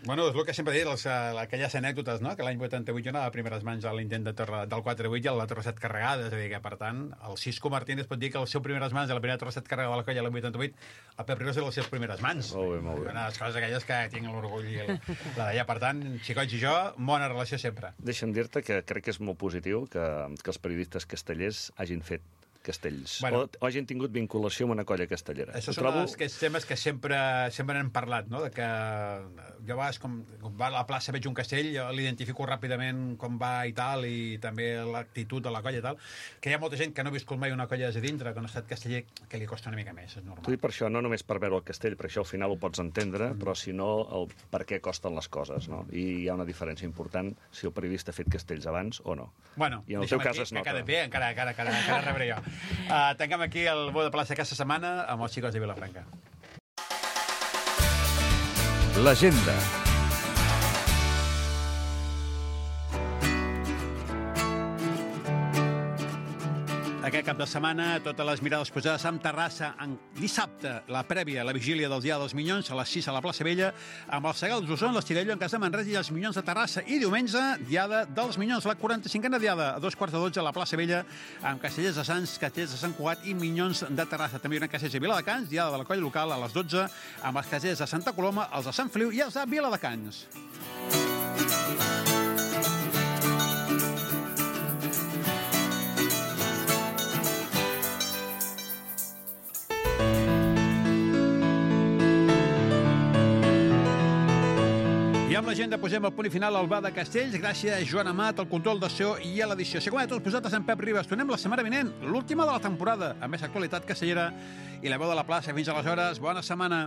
Bueno, és el que sempre he dit, les, uh, aquelles anècdotes, no?, que l'any vuitanta-vuit jo anava a primeres mans a l'intent de torre, del quatre vuit i a la torre set carregada, és a dir, que per tant, el Cisco Martínez pot dir que el seu primeres mans, a la primera torre set carregada de la colla l'any vuitanta-vuit, el Pep Ribas era les seves primeres mans. Molt bé, molt bé. Una de les coses aquelles que tinc l'orgull i la, la d'allà. Per tant, xicots i jo, bona relació sempre. Deixa'm dir-te que crec que és molt positiu que, que els periodistes castellers hagin fet castells, Bueno. o, o hagin tingut vinculació amb una colla castellera. Això Ho són trobo... els, aquests temes que sempre, sempre n'hem parlat, no?, de que jo a vegades, com, com va a la plaça, veig un castell, jo l'identifico ràpidament com va i tal, i també l'actitud de la colla i tal, que hi ha molta gent que no ha viscut mai una colla des de dintre, que no ha estat casteller, que li costa una mica més, és T'ho normal. dic per això, no només per veure el castell, per això al final ho pots entendre, però si no, el per què costen les coses, no? I hi ha una diferència important si el periodista ha fet castells abans o no. Bueno, I en el deixa'm teu cas aquí, es nota. que cada bé, encara, encara, encara, encara rebré jo. Uh, tanquem aquí el bo de plaça aquesta setmana amb els xicots de Vilafranca. L'agenda. Aquest cap de setmana, totes les mirades posades amb Terrassa. En dissabte, la prèvia, la vigília del Dia dels Minyons, a les sis a la plaça Vella, amb els Segals d'Osona, l'Estirello en casa de Manresa i els Minyons de Terrassa. I diumenge, Diada dels Minyons, la quaranta-cinquena Diada, a dos quarts de dotze a la plaça Vella, amb Castellers de Sants, Castellers de Sant Cugat i Minyons de Terrassa. També hi haurà Castellers de Viladecans, Diada de la colla local a les dotze, amb els Castellers de Santa Coloma, els de Sant Feliu i els de Viladecans. I amb l'agenda posem el punt i final al Bar de Castells. Gràcies a Joan Amat, al control de so i a l'edició. Seguim a tots vosaltres en Pep Ribas. Tornem la setmana vinent, l'última de la temporada, amb més actualitat castellera i la veu de la plaça. Fins aleshores, bona setmana.